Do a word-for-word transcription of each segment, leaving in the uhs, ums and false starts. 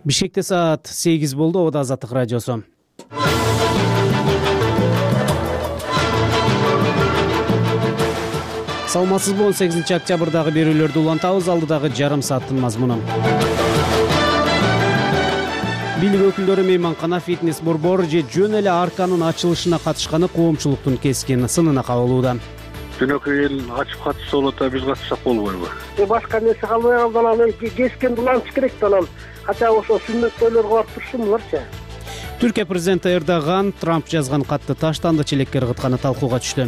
Бишкекте саат сегиз болду. Ода Азаттык радиосу. Саламатсызбы? он сегизинчи октябрдагы берүүлөрдү улантабыз. Алдыдагы жарым сааттын мазмуну. Бийлик өкүлдөрү мейманкана, фитнес борбор же жөн эле арканын ачылышына катышканы коомчулуктун кескин сынына кабылууда. Жөнөкөй эл ачып катышса болот, а биз катышсак болбойбу? Башка нерсе калбай калды, анан кескенди улантыш керек да, анан кача ошо сүннөт тойлорго барып турушсунбуларчы. Түркия президенти Эрдоган Трамп жазган катты таштанды, челекке ыргытканы талкууга түштү.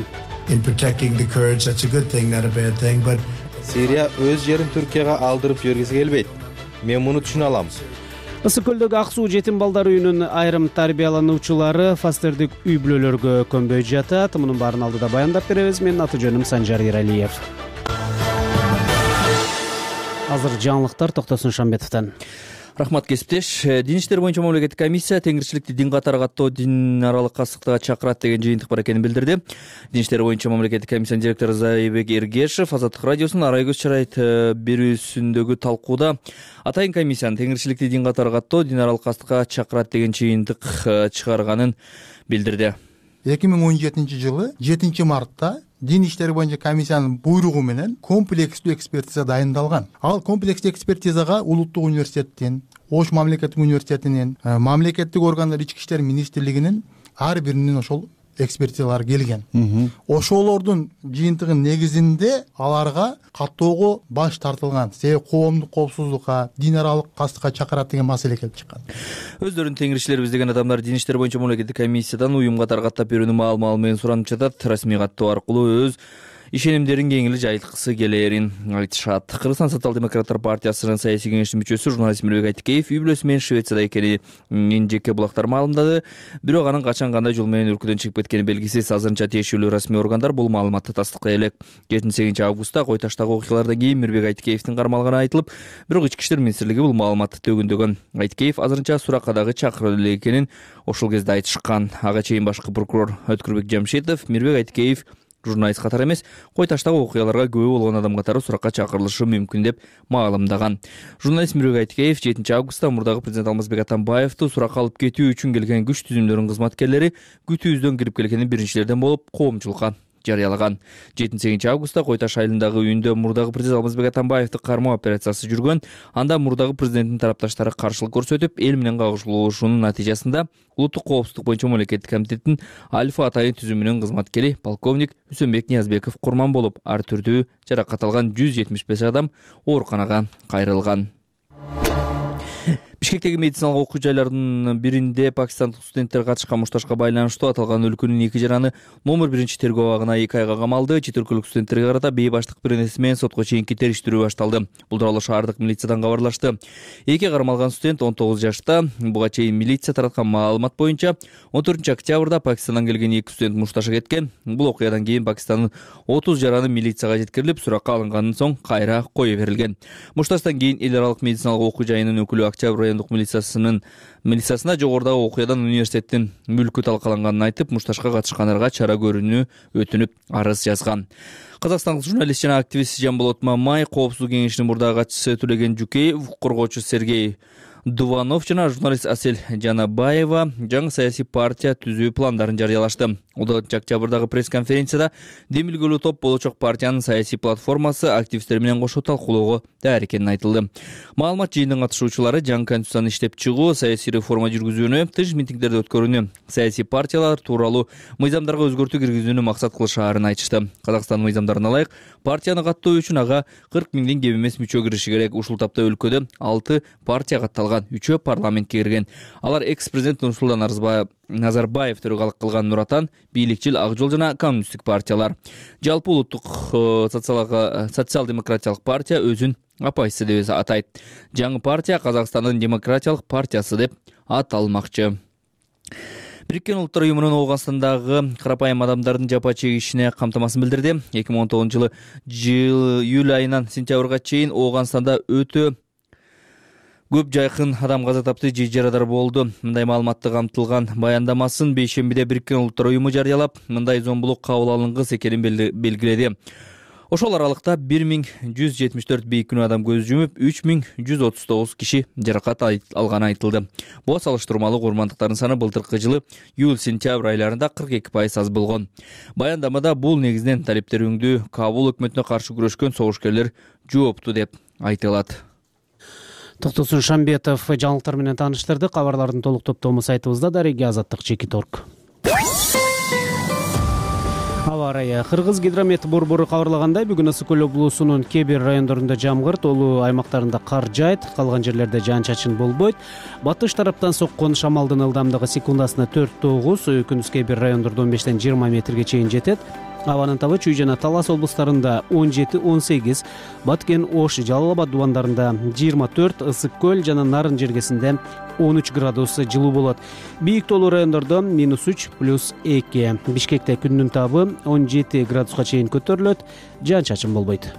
Сирия өз жерин Түркияга алдырып жибергиси келбейт. Мен муну түшүнө алам. Ысык көлдөгү Ак суу жетим балдар үйүнүн айрым тарбиялануучулары фастердик үй бүлөлөргө көнбөй жатат. Мунун баарын алдыда баяндап беребиз. Менин аты жөнүм Санжар Иралиев. Азыр жаңылыктар Токтосун Шамбетовдон. Рахмат, кесиптеш. Дин иштери боюнча мамлекеттик комиссия теңирчиликти дин катары каттоо, дин аралык кастыкка чакырат деген жыйынтык бар экенин билдирди. Дин иштери боюнча мамлекеттик комиссиянын директору Зайбек Эргешев Азаттык радиосунун Арай көз чарайт берүүсүндөгү талкууда атайын комиссиянын теңирчиликти дин катары каттоо, дин аралык кастыкка чакырат деген жыйынтык чыгарганын билдирди. эки миң он жетинчи жылы жетинчи мартта дин иштери боюнча комиссиянын буйругу менен комплекстүү экспертиза дайындалган. Ал комплекстүү экспертизага Улуттук университеттин, Ош мамлекеттик университетинин, мамлекеттик органдар, ички иштер министрлигинин ар биринин ошол экспертизалары келген. Ошолордун жыйынтыгынын негизинде аларга каттоого баш тартылган. Себеби коомдук коопсуздукка, дин аралык кастыкка чакырат деген маселе келип чыккан. Өздөрүн теңирчилерибиз деген адамдар дин иштери боюнча мамлекеттик комиссиядан уюм катары каттап берүүнү маал-маал менен суранып жатат. Расмий каттоо аркылуу өз ишенимдерин кеңири жайылткысы келерин айтышат. Кыргызстан социал-демократтар партиясынын саясий кеңештин мүчөсү журналист Мирбек Айтикеев үй бүлөсү менен Швецияда экенин жеке булактар маалымдады. Бирок анын качан кандай жол менен өлкөдөн чыгып кеткени белгисиз. Азырынча тиешелүү расмий органдар бул маалыматты тастыктай элек. жетинчи сегизинчи августта Кой таштагы окуялардан кийин Мирбек Айтикеевдин кармалганы айтылып, бирок ички иштер министрлиги бул маалыматты төгүндөгөн. Айтикеев азырынча суракка дагы чакырылып эле экенин ошол кезде айтышкан. Ага чейин башкы прокурор Өткүрбек Жамшитов Мирбек Айтикеев журналист катары эмес, Кой таштагы окуяларга күбө болгон адам катары суракка чакырылышы мүмкүн деп маалымдаган. Журналист Мирбек Айтикеев жетинчи августта мурдагы президент Алмазбек Атамбаевди суракка алып кетүү үчүн келген күч түзүмдөрүнүн кызматкерлери күтүүбүздөн кирип келгенин биринчилерден болуп коомчулукка жарыялаган. жетинчи сегизинчи августта Кой таш айылындагы үйүндө мурдагы президент Алмазбек Атамбаевди кармоо операциясы жүргөн. Анда мурдагы президенттин тарапташтары каршылык көрсөтүп, эл менен кагышылуушунун натыйжасында Улуттук коопсуздук боюнча мамлекеттик комитеттин Альфа атайын түзүмүнүн кызматкери полковник Үсөнбек Ниязбеков курман болуп, ар түрдүү жаракат алган жүз жетимиш беш адам ооруканага кайрылган. Бишкектеги медициналык окуу жайларынын биринде пакистандык студенттер катышкан мушташка байланыштуу аталган өлкөнүн эки жараны номер биринчи тергөө абагына эки айга камалды. Чет өлкөлүк студенттерге карата бейбаштык беренеси менен сотко чейинки териштирүү башталды. Бул тууралуу шаардык милициядан кабарлашты. Эки кармалган студент он тогуз жашта. Буга чейин милиция тараткан маалымат боюнча он төртүнчү октябрда Пакистандан келген эки студент мушташка кеткен. Бул окуядан кийин Пакистандын отуз жараны милицияга жеткирилип, суракка алынгандан соң кайра кое берилген. Мушташтан кийин эл аралык медициналык окуу жайынын өкүлү Октябрь райондук милициясынын милициясына жогорудагы окуядан университеттин мүлкү талкаланганын айтып, мушташка катышкандарга чара көрүүнү өтүнүп арыз жазган. Казакстандык журналист жана активист Жамболот Мамай, коопсуздук кеңешинин мурдагы катчысы Төлеген Жукеев, коргоочу Сергей Дуванов жана журналист Асель Жанабаева жаңы саясий партия түзүү пландарын жарыялашты. он тогузунчу октябрдагы пресс-конференцияда демилгелүү топ болочок партиянын саясий платформасы активисттер менен кошо талкуулоого даяр экени айтылды. Маалымат жыйынынын катышуучулары жаңы конституцияны иштеп чыгуу, саясий реформа жүргүзүүнү, тыш митингдерди өткөрүүнү, саясий партиялар тууралуу мыйзамдарга өзгөртүү киргизүүнү максат кылышаарын айтышты. Казакстан мыйзамдарына ылайык партияны каттоо үчүн ага кырк миңден кем эмес мүчө кириши керек. Ушул тапта өлкөдө алты партия катталган, үчөө парламентке кирген. Алар экс-президент Нурсултан Назарбаев төрөгалык кылган Нур Атан, бийликчил Ак жол жана коммунисттик партиялар. Жалпы улуттук социал-демократиялык партия өзүн апайсы деп атайт. Жаңы партия Казакстандын демократиялык партиясы деп аталмакчы. Бириккен Улуттар уюмунун Оогандагы карапайым адамдардын жапа чегишине камтамасын билдирди. эки миң он тогузунчу жылы июль айынан сентябрга чейин Ооганданда өтө көп жайкын адам каза тапты, же жарадар болду. Мындай маалыматты камтылган баяндамасын бейшембиде Бириккен Улуттар уюму жарыялап, мындай зомбулук кабыл алынгыс экенин белгиледи. Ошол аралыкта бир миң жүз жетимиш төрт бейкүнөө адам көз жумуп, үч миң жүз отуз тогуз киши жаракат алганы айтылды. Буга салыштырмалуу курмандыктардын саны былтыркы жылы июль-сентябрь айларында кырк эки пайыз аз болгон. Баяндамада бул негизинен талептериңдүү Кабул өкмөтүнө каршы күрөшкөн согушкерлер жоопту деп айтылат. Токтосун Шамбетов жаңылыктар менен тааныштырды. Кабарлардын толук топтому сайтыбызда. Дареги Азаттык Чекит орг. Аба ырайы. Кыргыз гидромет борбору кабарлагандай, бүгүн Ысык Көл облусунун кээ бир райондорунда жамгыр, тоолуу аймактарында кар жаайт, калган жерлерде жаан-чачын болбойт. Батыш тараптан соккон шамалдын ылдамдыгы секундасына төрт тогуз, күндүз кээ бир райондордо он бештен жыйырма метрге чейин жетет. Абанын табы Чүй жана Талас облустарында он жети он сегиз, Баткен, Ош, Жалал Абад дубандарында жыйырма төрт, Ысык Көл жана Нарын жергесинде он үч градус жылуу болот. Бийик тоолуу райондордо минус үч плюс эки. Бишкекте күндүн табы он жети градуска чейин көтөрүлөт, жаан-чачын болбойт.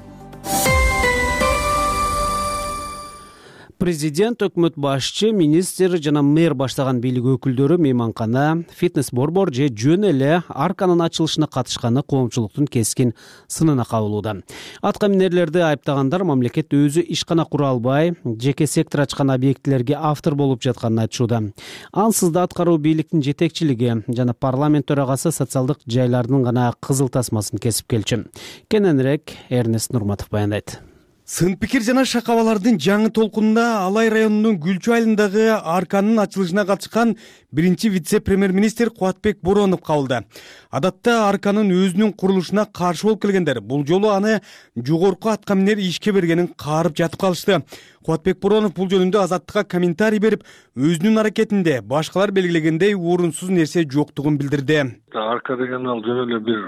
Президент, өкмөт башчы, министр жана мэр баштаган бийлик өкүлдөрү мейманкана, фитнес-борбор же жөн эле арканын ачылышына катышканы коомчулуктун кескин сынына кабылууда. Атка минерлерди айыптагандар мамлекет өзү ишкана кура албай, жеке сектор ачкан объектилерге автор болуп жатканын айтышууда. Ансыз да аткаруу бийликтин жетекчилиги жана парламент төрагасы социалдык жайлардын гана кызыл тасмасын кесип келчү. Кененирээк Эрнест Нурматов баяндайт. Сын пикир жана шакабалардын жаңы толкунунда Алай районунун Гүлчү айылындагы арканын ачылышына катышкан биринчи вице-премьер-министр Кубатбек Боронов кабылды. Адатта арканын өзүнүн курулушуна каршы болуп келгендер бул жолу аны жогорку атка минер ишке бергенин каарып жатып калышты. Кубатбек Боронов бул жөнүндө Азаттыкка комментарий берип, өзүнүн аракетинде башкалар белгилегендей орунсуз нерсе жоктугун билдирди. Арка деген ал жөн эле бир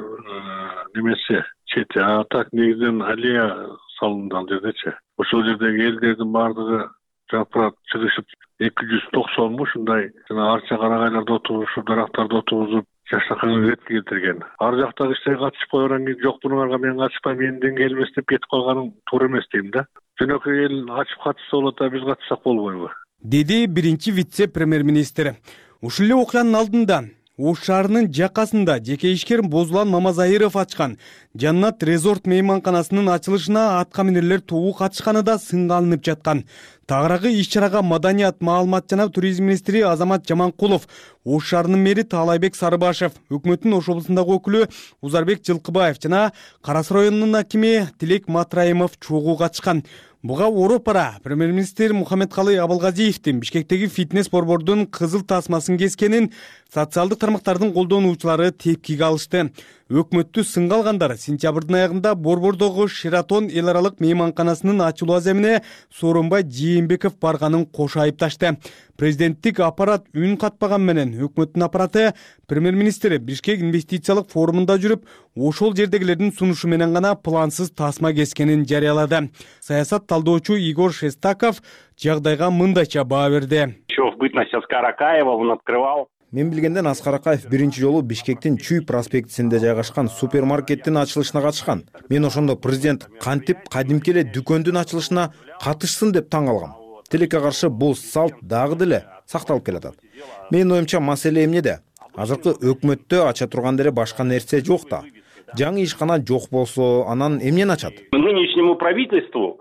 немесе чети, а так негизинен алия салынды ал жердечи. Ошол жердеги элдердин баардыгы жапырак чыгышып эки жүз токсон ушундай жана арча карагайларда отурушуп, дарактарда отургузуп жашаканы ретке келтирген. Ар жактагы иштерге катышып койгондон кийин жок мунуңарга мен катышпайм, менден келмес деп кетип калганың туура эмес дейм да. Жөнөкөй эл ачып катышса болот, а биз катышсак болбойбу? Деди биринчи вице-премьер-министр. Ушул эле окуянын алдында Ош шаарынын жакасында жеке ишкер Бозулан Мамазайыров ачкан Жаннат резорт мейманканасынын ачылышына атка минерлер тобу катышканы да сынга алынып жаткан. Тагыраагы иш-чарага маданият, маалымат жана туризм министри Азамат Жаманкулов, Ош шаарынын мэри Таалайбек Сарыбашев, өкмөттүн Ош облусундагы өкүлү Узарбек Жылкыбаев жана Карас районунун акими Тилек Матраимов чогуу катышкан. Буга Оропара премьер-министр Мухаммедкалый Абылгазиевдин Бишкектеги фитнес-борбордун кызыл тасмасын кескенин социалдык тармактардын колдонуучулары тепкиге алышты. Өкмөттү сынга алгандар сентябрдын аягында борбордогу Шератон эл аралык мейманканасынын ачылуу аземине Сооронбай Жээнбеков барганын кошо айыпташты. Президенттик аппарат үн катпаган менен өкмөттүн аппараты премьер-министр Бишкек инвестициялык форумунда жүрүп, ошол жердегилердин сунушу менен гана плансыз тасма кескенин жарыялады. Саясат талдоочу Игорь Шестаков жагдайга мындайча баа берди. Еще в бытность Аскара Акаева он открывал. Мен билгенден Аскар Акаев биринчи жолу Бишкектин Чүй проспектисинде жайгашкан супермаркеттин ачылышына катышкан. Мен ошондо президент кантип кадимки эле дүкөндүн ачылышына катышсын деп таң калгам. Тилекке каршы бул салт дагы деле сакталып келатат. Менин оюмча маселе эмнеде? Азыркы өкмөттө ача турган деле башка нерсе жок да. Жаңы ишкана жок болсо, анан эмнени ачат? Нынешнему правительству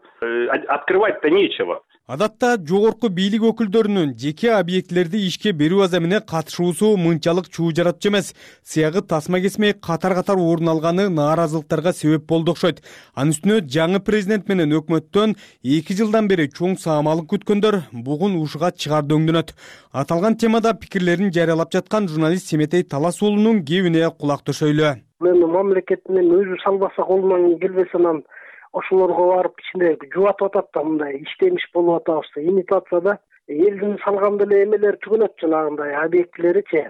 открывать-то нечего. Адатта жогорку бийлик өкүлдөрүнүн жеке объектилерди ишке берүү аземине катышуусу мынчалык чуу жаратчу эмес. Сыягы тасма кесмей катар-катар орун алганы нааразылыктарга себеп болду окшойт. Анын үстүнө жаңы президент менен өкмөттөн эки жылдан бери чоң саамалык күткөндөр бугун ушуга чыгар дөңдөнөт. Аталган темада пикирлерин жарыялап жаткан журналист Семетей Талас уулунун кебине кулак төшөйлү. Мен мамлекеттин өзү салбаса колунан келбесе анан ошолорго барып ичинде жубатып атат да, мындай иштемиш болуп атабыз. Имитацияда элдин салган деле эмелер түгөнөт, жанагындай объектилеричи.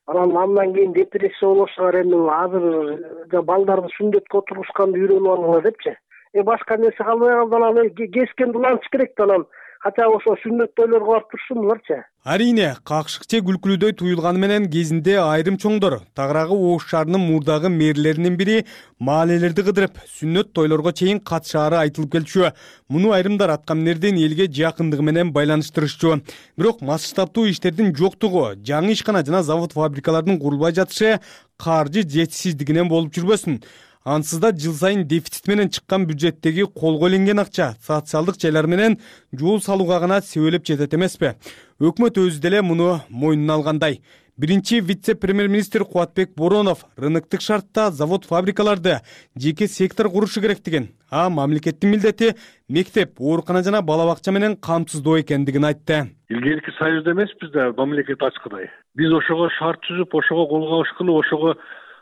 Анан андан кийин депрессия болушуңар, эми азыр балдарды сүндөткө отурушканды үйрөнүп алыңар депчи. Э башка нерсе калбай калды, анан кескен дуланчы керек да, анан кача ошо сүннөт тойлорго барып турушсунбуларчы. Арийне, какшыкче күлкүлүдөй туюлганы менен кезинде айрым чоңдор тагыраагы Ош шаарынын мурдагы мэрлеринин бири маалелерди кыдырып, сүннөт тойлорго чейин катышаары айтылып келчү. Муну айрымдар атка минердин элге жакындыгы менен байланыштырышчу. Бирок масштабтуу иштердин жоктугу, жаңы ишкана жана завод-фабрикалардын курулбай жатышы каржы жетишсиздигинен болуп жүрбөсүн. ансыз да жыл сайын дефицит менен чыккан бюджеттеги колго иленген акча социалдык жайлар менен жол салууга гана себелеп жетет эмеспи? Өкмөт өзү деле муну мойнуна алгандай. Биринчи вице-премьер-министр Кубатбек Боронов рыноктук шартта завод-фабрикаларды жеке сектор курушу керектигин, а мамлекеттин милдети мектеп, оорукана жана бала бакча менен камсыздоо экендигин айтты. Илгерки союзда эмеспиз да мамлекет ачкыдай. Биз ошого шарт түзүп, ошого кол кабыш кылып, ошого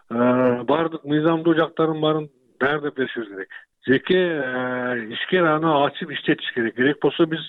баардык мыйзамдуу жактарын баарын даярдап беришибиз керек. Жеке ишкер аны ачып иштетиш керек. Керек болсо биз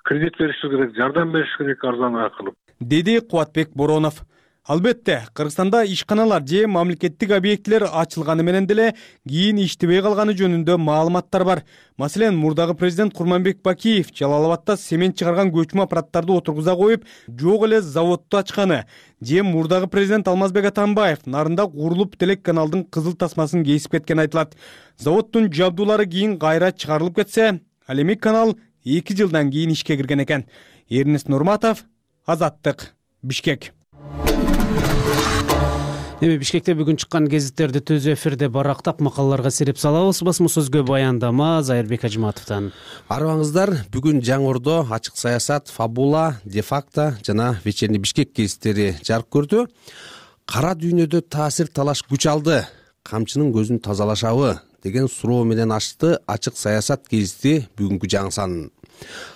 кредит беришибиз керек, жардам бериш керек арзаныраак кылып, деди Кубатбек Боронов. Албетте, Кыргызстанда ишканалар же мамлекеттик объектилер ачылганы менен деле кийин иштебей калганы жөнүндө маалыматтар бар. Маселен, мурдагы президент Курманбек Бакиев Жалал Абадта семен чыгарган көчмө аппараттарды отургуза коюп, жок эле заводду ачканы, же мурдагы президент Алмазбек Атамбаев Нарында курулуп телеканалдын кызыл тасмасын кесип кеткен айтылат. Заводдун жабдуулары кийин кайра чыгарылып кетсе, ал эми канал эки жылдан кийин ишке кирген экен. Эрнест Нурматов, Азаттык, Бишкек. Эми Бишкекте бүгүн чыккан гезиттерди түз эфирде барактап макалаларга сереп салабыз. Басма сөзгө баяндама Зайырбек Ажматовдон. Арыбаңыздар, бүгүн Жаңордо ачык саясат, Фабула, Де-факто жана Вечерний Бишкек гезиттери жарык көрдү. Кара дүйнөдө таасир талаш күч алды, камчынын көзүн тазалашабы деген суроо менен ачты ачык саясат гезити бүгүнкү жаңы санын.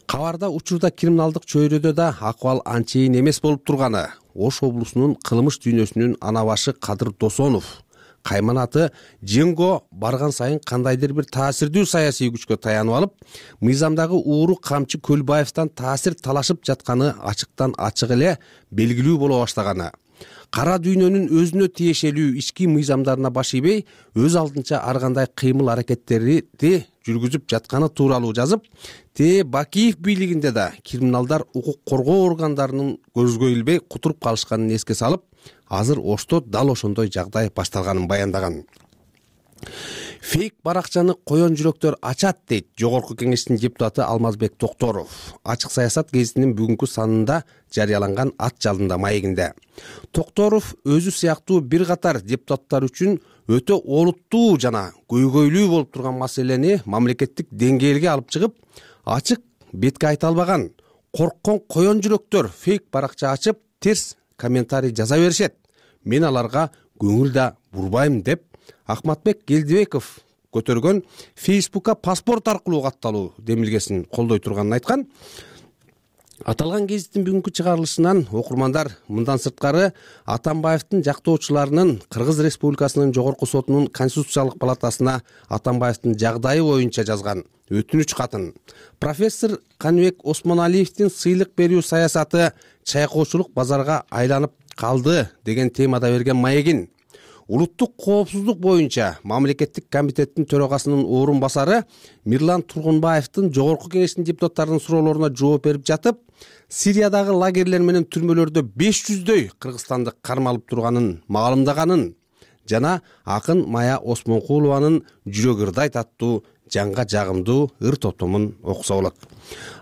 Кабарда учурда криминалдык чөйрөдө да акыбал анчейин эмес болуп турганы, Ош облусунун кылмыш дүйнөсүнүн ана башы Кадыр Досонов, кайманаты Женго барган сайын кандайдыр бир таасирдүү саясий күчкө таянып алып, мыйзамдагы ууру камчы Көлбаевден таасир талашып жатканы ачыктан ачык эле белгилүү боло баштаганы. Кара дүйнөнүн өзүнө тиешелүү ички мыйзамдарына баш ийбей, өз алдынча ар кандай кыймыл аракеттерди жүргүзүп жатканы тууралуу жазып, Те Бакиев бийлигинде да криминалдар укук коргоо органдарынын көзгө илбей кутуруп калышканын эске салып, азыр Ошто дал ошондой жагдай башталганын баяндаган. Фейк баракчаны коен жүрөктөр ачат, дейт Жогорку Кеңештин депутаты Алмазбек Токторов. Ачык саясат гезитинин бүгүнкү санында жарыяланган ат жалында маегинде. Токторов өзү сыяктуу бир катар депутаттар үчүн өтө олуттуу жана көйгөйлүү болуп турган маселени мамлекеттик деңгээлге алып чыгып, ачык бетке айта албаган, корккон коен жүрөктөр фейк баракча ачып, терс комментарий жаза беришет. Мен аларга көңүл да бурбайм деп Ахматбек Келдибеков көтөргөн Фейсбукка паспорт аркылуу катталуу демилгесин колдой турганын айткан. Аталган гезиттин бүгүнкү чыгарылышынан окурмандар мындан сырткары Атамбаевдин жактоочуларынын Кыргыз Республикасынын Жогорку сотунун Конституциялык палатасына Атамбаевдин жагдайы боюнча жазган өтүнүч катын, профессор Каныбек Осмоналиевдин сыйлык берүү саясаты чайкоочулук базарга айланып калды деген темада берген маегин, улуттук коопсуздук боюнча мамлекеттик комитеттин төрагасынын орун басары Мирлан Тургунбаевдин Жогорку Кеңештин депутаттарынын суроолоруна жооп берип жатып, Сириядагы лагерлер менен түрмөлөрдө беш жүздөй кыргызстандык кармалып турганын маалымдаганын жана акын Мая Осмонкулованын Жүрөк ырдайт аттуу жанга жагымдуу ыр топтомун окуса болот.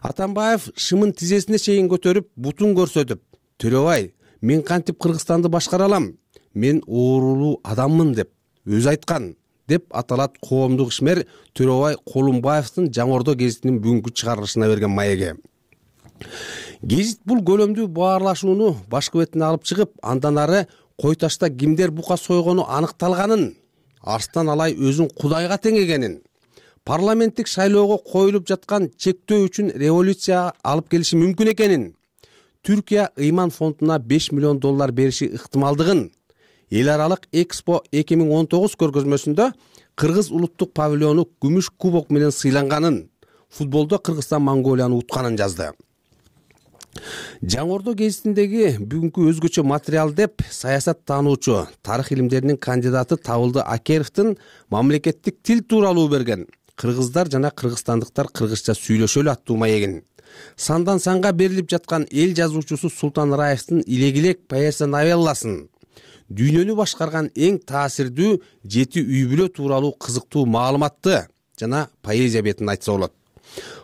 Атамбаев шымын тизесине чейин көтөрүп, бутун көрсөтүп, "Төрөбай, мен кантип Кыргызстанды башкара алам? Мен оорулуу адаммын" деп өзү айткан, деп аталат коомдук ишмер Төрөбай Колумбаевдин Жаңордо гезитинин бүгүнкү чыгарылышына берген маеги. Гезит бул көлөмдүү баарлашууну башкы бетине алып чыгып, андан ары кой ташта кимдер бука сойгону аныкталганын, Арстан Алай өзүн Кудайга теңегенин, парламенттик шайлоого коюлуп жаткан чектөө үчүн революция алып келиши мүмкүн экенин, Түркия ыйман фондуна беш миллион доллар бериши ыктымалдыгын, эл аралык Экспо эки миң он тогуз көргөзмөсүндө Кыргыз улуттук павильону күмүш кубок менен сыйланганын, футболдо Кыргызстан Монголияны утканын жазды. Жаңордо гезитиндеги бүгүнкү өзгөчө материал деп саясат таануучу, тарых илимдеринин кандидаты Табылды Акеровдун мамлекеттик тил тууралуу берген "Кыргыздар жана кыргызстандыктар кыргызча сүйлөшөлү" аттуу маегин, сандан санга берилип жаткан эл жазуучусу Султан Раевдин Илегилек поэзия новелласын, дүйнөнү башкарган эң таасирдүү жети үй бүлө тууралуу кызыктуу маалыматты жана поэзия бетин айтса болот.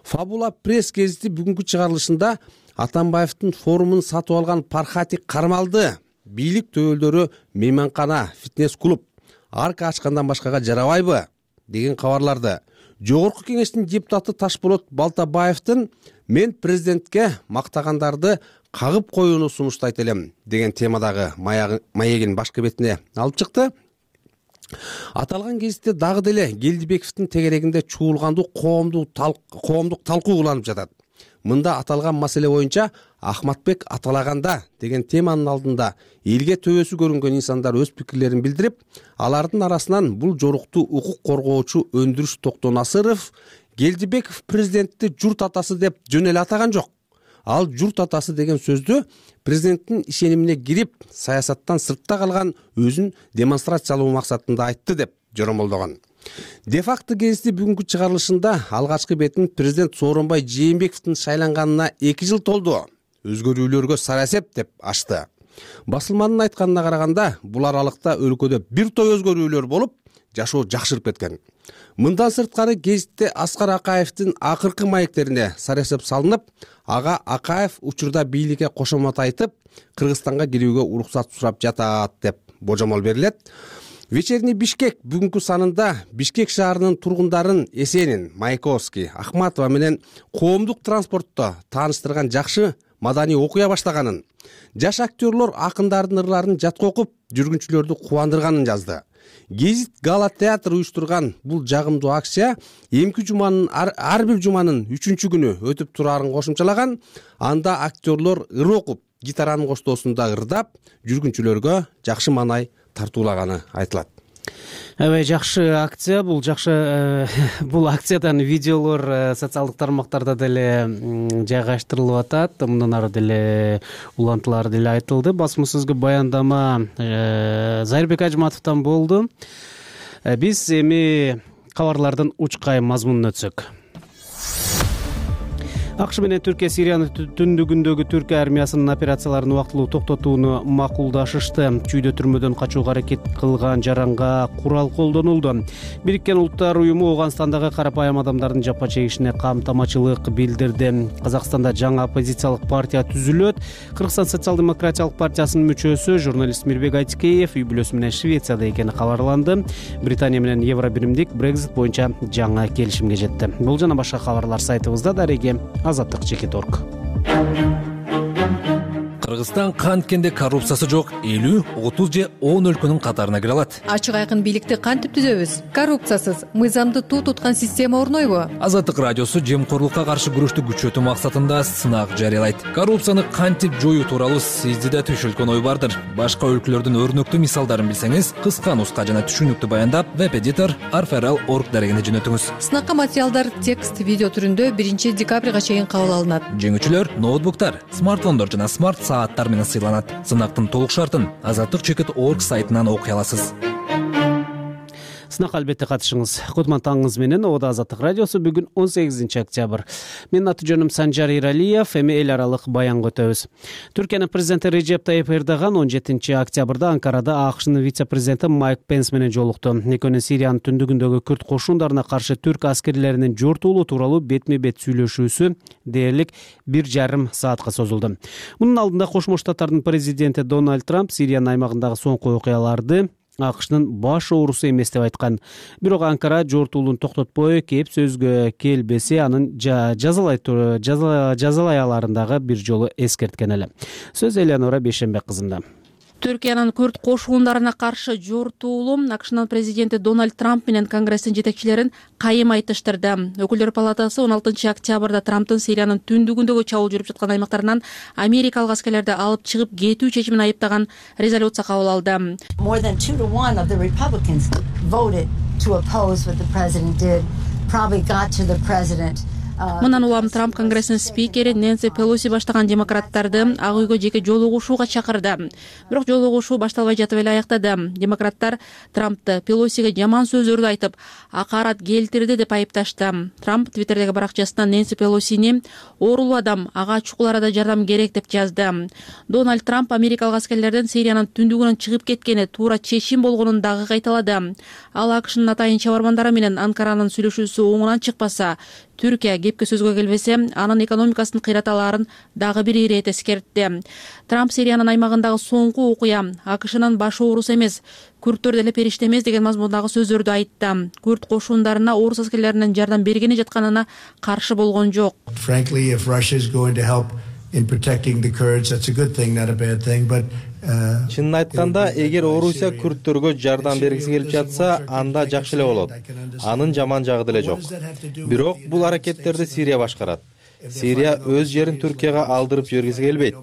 Фабула пресс гезити бүгүнкү чыгарылышында Атамбаевдин форумун сатып алган Пархати кармалды, бийлик төөлдөрү мейманкана, фитнес клуб, арка ачкандан башкага жарабайбы деген кабарларды жогорку кеңештин депутаты Ташболот Балтабаевдин мен президентке мактагандарды кагып коюуну сунуштайт элем деген темадагы маегин башкы бетине алып чыкты. Аталган кезитте дагы деле Келдибековдин тегерегинде чуулгандуу коомдук талкуу уланып жатат. Мында аталган маселе боюнча Ахматбек аталаганда деген теманын алдында элге төбөсү көрүнгөн инсандар өз пикирлерин билдирип, алардын арасынан бул жорукту укук коргоочу Өндүрүш Токтонасыров Келдибеков президентти журт атасы деп жөн эле атаган жок. Ал журт атасы деген сөздү президенттин ишенимине кирип, саясаттан сыртта калган өзүн демонстрациялоо максатында айтты деп жоромолдогон. Де-факто гезити бүгүнкү чыгарылышында алгачкы бетин президент Сооронбай Жээнбековдун шайланганына эки жыл толду. Өзгөрүүлөргө сара эсеп деп ачты. Басылманын айтканына караганда, бул аралыкта өлкөдө бир топ өзгөрүүлөр болуп, жашоо жакшырып кеткен. Мындан сырткары гезитте Аскар Акаевдин акыркы маектерине сара эсеп салынып, ага Акаев учурда бийликке кошомот айтып, Кыргызстанга кирүүгө уруксат сурап жатат деп божомол берилет. Вечерний Бишкек бүгүнкү санында Бишкек шаарынын тургундарын Эсенин, Маяковский, Ахматова менен коомдук транспортто тааныштырган жакшы маданий окуя баштаганын, жаш актерлор акындардын ырларын жатка окуп, жүргүнчүлөрдү кубандырганын жазды. Гезит Гала театр уюштурган бул жагымдуу акция эмки жуманын ар бир жуманын үчүнчү күнү өтүп турарын кошумчалаган. Анда актерлор ыр окуп, гитаранын коштоосунда ырдап, жүргүнчүлөргө жакшы маанай тартуулаганы айтылат. Аябай жакшы акция, бул жакшы бул акциядан видеолор социалдык тармактарда деле жайгаштырылып атат. Мындан ары деле улантуулар деле айтылды. Басмасөзгө баяндама Зайырбек Ажматовдон болду. Биз эми кабарлардын учкай мазмунун өтсөк. АКШ менен Түркия Сириянын түндүгүндөгү Түркия армиясынын операцияларын убактылуу токтотууну макулдашышты. Чүйдө түрмөдөн качууга аракет кылган жаранга курал колдонулду. Бириккен Улуттар уюму Ооганстандагы карапайым адамдардын жапа чегишине камтамачылык билдирди. Казакстанда жаңы оппозициялык партия түзүлөт. Кыргызстан социал-демократиялык партиясынын мүчөсү журналист Мирбек Айтикеев үй бүлөсү менен Швецияда экени кабарланды. Британия менен Евробиримдик Брекзит боюнча жаңы келишимге жетти. Бул жана башка кабарлар сайтыбызда. Дареге Азаттык чекит точка орг. Кыргызстан канткенде коррупциясы жок элүү, отуз же он өлкөнүн катарына кире алат. Ачык айкын бийликти кантип түзөбүз? Коррупциясыз, мыйзамды туу туткан система орнойбу? Азаттык радиосу жемкорлукка каршы күрөштү күчөтүү максатында сынак жарыялайт. Коррупцияны кантип жоюу тууралуу сизде да түшүлгөн ой бардыр. Башка өлкөлөрдүн өрнөктүү мисалдарын билсеңиз, кыска нуска жана түшүнүктүү баяндап веб-эдитор арферал точка орг дарегине жөнөтүңүз. Сынакка материалдар текст, видео түрүндө биринчи декабрга чейин кабыл алынат. Жеңүүчүлөр ноутбуктар, смартфондор жана смарт сааттар менен сыйланат. Сынактын толук шартын азаттык чекит точка орг сайтынан окуй аласыз. Сынакка албетте катышыңыз. Кутман таңыңыз менен. Ода Азаттык радиосу бүгүн он сегизинчи октябрь. Менин аты жөнүм Санжар Иралиев. Эми эл аралык баянга өтөбүз. Түркиянын президенти Режеп Тайип Эрдоган он жетинчи октябрда Анкарада АКШнын вице-президенти Майк Пенс менен жолукту. Экөөнү Сириянын түндүгүндөгү күрд кошундарына каршы түрк аскерлеринин жортуулоо тууралуу бетме-бет сүйлөшүүсү дээрлик бир жарым саатка созулду. Мунун алдында Кошмо Штаттардын президенти Дональд Трамп Сириянын аймагындагы соңку окуяларды АКШнын баш оорусу эмес деп айткан. Бирок Анкара жортуулууну токтотпой, кеп сөзгө келбесе анын жазалай жазалай аларын дагы бир жолу эскерткен эле. Сөз Элеонора Бейшембек кызында. Түркиянын күрд кошундарына каршы жортуулуу АКШнын президенти Дональд Трамп менен Конгресстин жетекчилерин кайым айтыштырды. Өкүлдөр палатасы он алтынчы октябрда Трамптын Сириянын түндүгүндөгү чабуул жүрүп жаткан аймактарынан америкалык аскерлерди алып чыгып кетүү чечимин айыптаган резолюция кабыл алды. More than two to one of the Republicans voted to oppose what the president did. Probably got to the president. Мындан улам Трамп Конгресстин спикери Нэнси Пелоси баштаган демократтарды Ак үйгө жеке жолугушууга чакырды. Бирок жолугушуу башталбай жатып эле аяктады. Демократтар Трампты Пелосиге жаман сөздөрдү айтып, акарат келтирди деп айыпташты. Трамп Твиттердеги баракчасында Нэнси Пелосини оорулуу адам, ага чукул арада жардам керек деп жазды. Дональд Трамп америкалык аскерлердин Сириянын түндүгүнөн чыгып кеткени туура чечим болгонун дагы кайталады. Ал АКШнын атайын чабармандары менен Анкаранын сүйлөшүүсү оңунан чыкпаса, Түркия кепке сөзгө келбесе, анын экономикасын кыйраталаарын дагы бир ирет эскертти. Трамп Сириянын аймагындагы соңку окуя АКШнын баш оорусу эмес, күрттөр деле периште эмес деген мазмундагы сөздөрдү айтты. Күрт кошундарына орус аскерлеринин жардам бергени жатканына каршы болгон жок. Frankly, if Russia is going to help in protecting the Kurds, that's a good thing, not a bad thing, but чынын айтканда, эгер Орусия күрттөргө жардам бергиси келип жатса, анда жакшы эле болот. Анын жаман жагы деле жок. Бирок бул аракеттерди Сирия башкарат. Сирия өз жерин Түркияга алдырып жибергиси келбейт.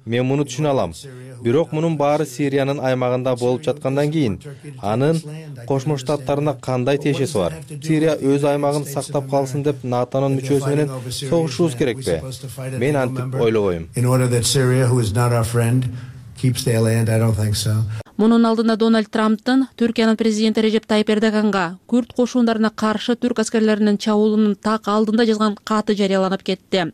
Мен муну түшүнө алам. Бирок мунун баары Сириянын аймагында болуп жаткандан кийин анын Кошмо Штаттарына кандай тиешеси бар? Сирия өз аймагын сактап калсын деп НАТОнун мүчөсү менен согушубуз керекпи? Мен антип ойлобойм. Мунун алдында Дональд Трамптын Түркиянын президенти Режеп Тайип Эрдоганга күрт кошундарына каршы түрк аскерлеринин чабуулунун так алдында жазган каты жарыяланып кетти.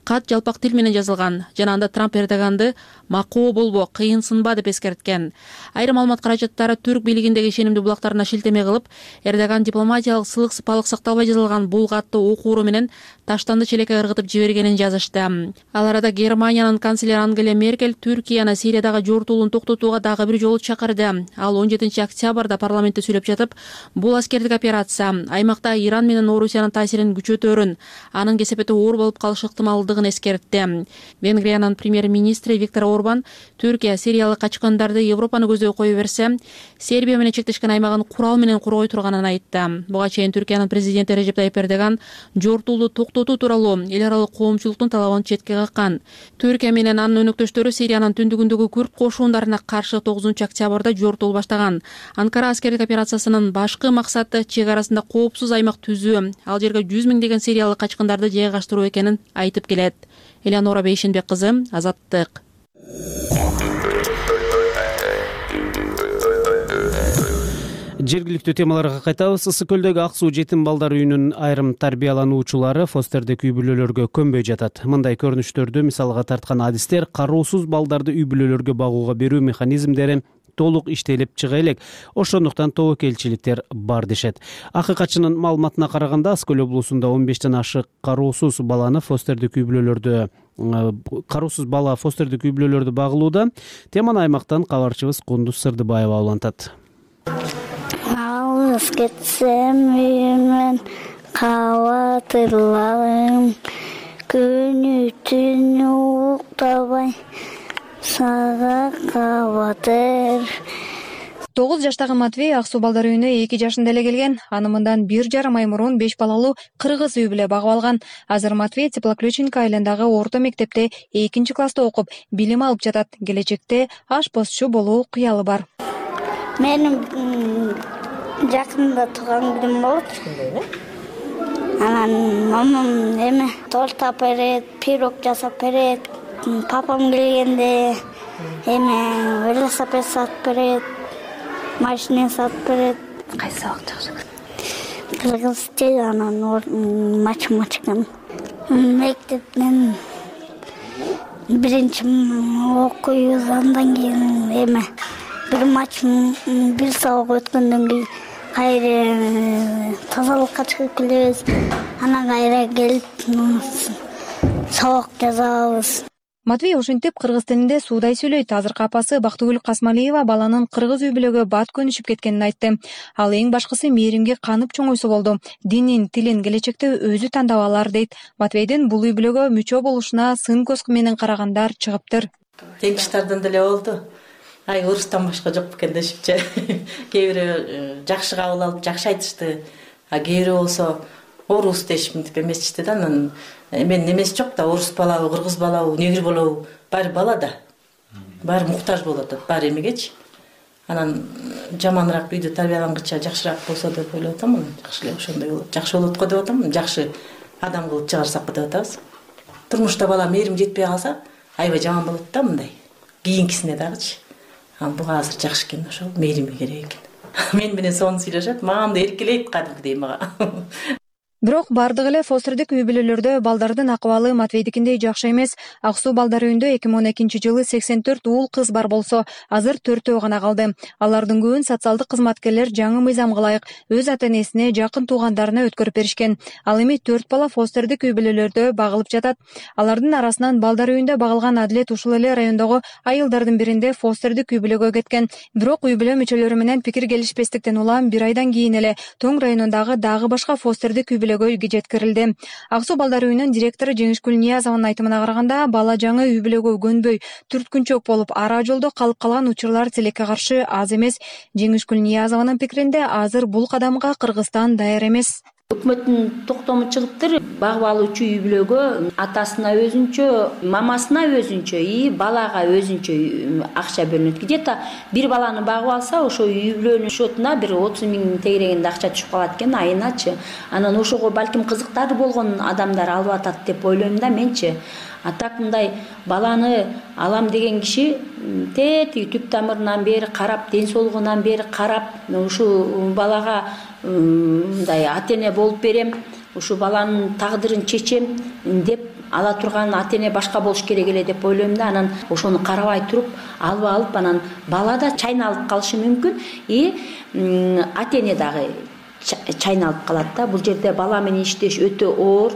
Кат жалпак тил менен жазылган жана анда Трамп Эрдоганды макоо болбо, кыйынсынба деп эскерткен. Айрым маалымат каражаттары түрк бийлигиндеги ишенимдүү булактарына шилтеме кылып, Эрдоган дипломатиялык сылык сыпалык сакталбай жазылган бул катты окууру менен таштанды челекке ыргытып жибергенин жазышты. Ал арада Германиянын канцлери Ангела Меркель Түркияны Сириядагы жортуулун токтотууга дагы бир жолу чакырды. Ал он жетинчи октябрда парламентте сүйлөп жатып, бул аскердик операция аймакта Иран менен Орусиянын таасирин күчөтөрүн, анын кесепети оор болуп калышы ыктымалдыгын эскертти. Венгриянын премьер-министри Виктор Орбан Түркия сириялык качкандарды Европаны көздөй кое берсе, Сербия менен чектешкен аймагын курал менен коргой турганын айтты. Буга чейин Түркиянын президенти Режеп Тайип Эрдоган жортуулду токтотуу тууралуу эл аралык коомчулуктун талабын четке каккан. Түркия менен анын өнөктөштөрү Сириянын түндүгүндөгү күрт кошундарына каршы тогузунчу октябрда жортуул баштаган. Анкара аскердик операциясынын башкы максаты чек арасында коопсуз аймак түзүү, ал жерге жүз миңдеген сириялык качкындарды жайгаштыруу экенин айтып келет. Элеонора Бейшенбек кызы, Азаттык. Жергиликтүү темаларга кайтабыз. Ысык көлдөгү Ак суу жетим балдар үйүнүн айрым тарбиялануучулары фостердик үй бүлөлөргө көнбөй жатат. Мындай көрүнүштөрдү мисалга тарткан адистер кароосуз балдарды үй бүлөлөргө багууга берүү механизмдери толук иштелип чыга элек. Ошондуктан тобокелчиликтер бар дешет. Акыкатчынын маалыматына караганда, Ысык көл облусунда он бештен ашык кароосуз баланы фостердик үй бүлөлөрдө кароосуз бала фостердик үй бүлөлөрдө багылууда. Теманы аймактан кабарчыбыз Кундуз Сырдыбаева улантат. Алыс кетсем үйүмөн кабатырларым, күнү түнү уктабай сага кабатыр. тогуз жаштагы Матвей Ак суу балдар үйүнө эки жашында эле келген. Аны мындан бир жарым ай мурун беш балалуу кыргыз үй бүлө багып алган. Азыр Матвей Теплоключенко айылындагы орто мектепте экинчи класста окуп, билим алып жатат. Келечекте ашпозчу болуу кыялы бар. Менин жакында тууган күнүм болот. Анан мамам эме торт тап берет, пирог жасап берет. Папам келгенде эме велосипед сатып берет, машина сатып берет. Кайсы сабак жакшы? Кыргыз тил, анан математиканы. Мектептен биринчи окуйбуз, андан кийин эме бир матч бир сабак өткөндөн кийин кайра тазалыкка чыгып келебиз. Анан кайра келип сабак жазабыз. Матвей ошентип кыргыз тилинде суудай сүйлөйт. Азыркы апасы Бактыгүл Касмалиева баланын кыргыз үй бүлөгө бат көнүшүп кеткенин айтты. Ал эң башкысы мээримге канып чоңойсо болду. Динин, тилин келечекте өзү тандап алар дейт. Матвейдин бул үй бүлөгө мүчө болушуна сын көз менен карагандар чыгыптыр. Теңиштардан деле болду. Ай, орустан башка жок экен дешипчи. Кээ бирөө жакшы кабыл алып, жакшы айтышты. А кээ бирөө болсо орус дешип эмесчиди да. Анан мен немеси жок да, орус балабы, кыргыз балабы, негр балабы, баары бала да. Баары муктаж болот, баары эмегечи. Анан жаманыраак үйдө тарбиялангыча жакшыраак болсо деп ойлоп атам. Жакшы эле ошондой болот. Жакшы болот го деп атам. Жакшы адам кылып чыгарсак деп атабыз. Турмушта бала мээрим жетпей калса, аябай жаман болот да мындай. Кийинкисине дагычы. Ал буга азыр жакшы экен, ошол мээрими керек экен. Мен менен сонун сүйлөшөт, мага да эркелейт кадимкидей мага. Бирок бардык эле фостердик үй бүлөлөрдө балдардын акыбалы Матвейдикиндей жакшы эмес. Ак Суу балдар үйүндө эки миң он экинчи жылы сексен төрт уул кыз бар болсо, азыр төртөө гана калды. Алардын көбүн социалдык кызматкерлер жаңы мыйзамга ылайык өз ата-энесине, жакын туугандарына өткөрүп беришкен. Ал эми төрт бала фостердик үй бүлөлөрдө багылып жатат. Алардын арасынан балдар үйүндө багылган Адилет ушул эле райондогу айылдардын биринде фостердик үй бүлөгө кеткен. Бирок үй бүлө мүчөлөрү менен пикир келишпестиктен улам бир айдан кийин эле Тоң районундагы дагы башка фостердик үй үйгө жеткирилди. Ак Суу балдар үйүнүн директору Жеңишкүл Ниязованын айтымына караганда, бала жаңы үй бүлөгө көнбөй, түрткүнчөк болуп, ара жолдо калып калган учурлар тилекке каршы аз эмес. Жеңишкүл Ниязованын пикиринде, азыр бул кадамга Кыргызстан даяр эмес. Өкмөттүн токтому чыгыптыр. Багып алуучу үй бүлөгө атасына өзүнчө, мамасына өзүнчө, и балага өзүнчө акча бөлүнөт. Где-то бир баланы багып алса, ошо үй бүлөнүн счетуна бир отуз миң тегерегинде акча түшүп калат экен айыначы. Анан ошого балким кызыктары болгон адамдар алып атат деп ойлойм да менчи. А так мындай баланы алам деген киши тети түп тамырынан бери карап, ден соолугунан бери карап, ушу балага мындай ата-эне болуп берем, ушу баланын тагдырын чечем деп ала турган ата-эне башка болуш керек эле деп ойлойм да. Анан ошону карабай туруп алып алып, анан бала да чайналып калышы мүмкүн, и ата-эне дагы чайналып калат да. Бул жерде бала менен иштеш өтө оор.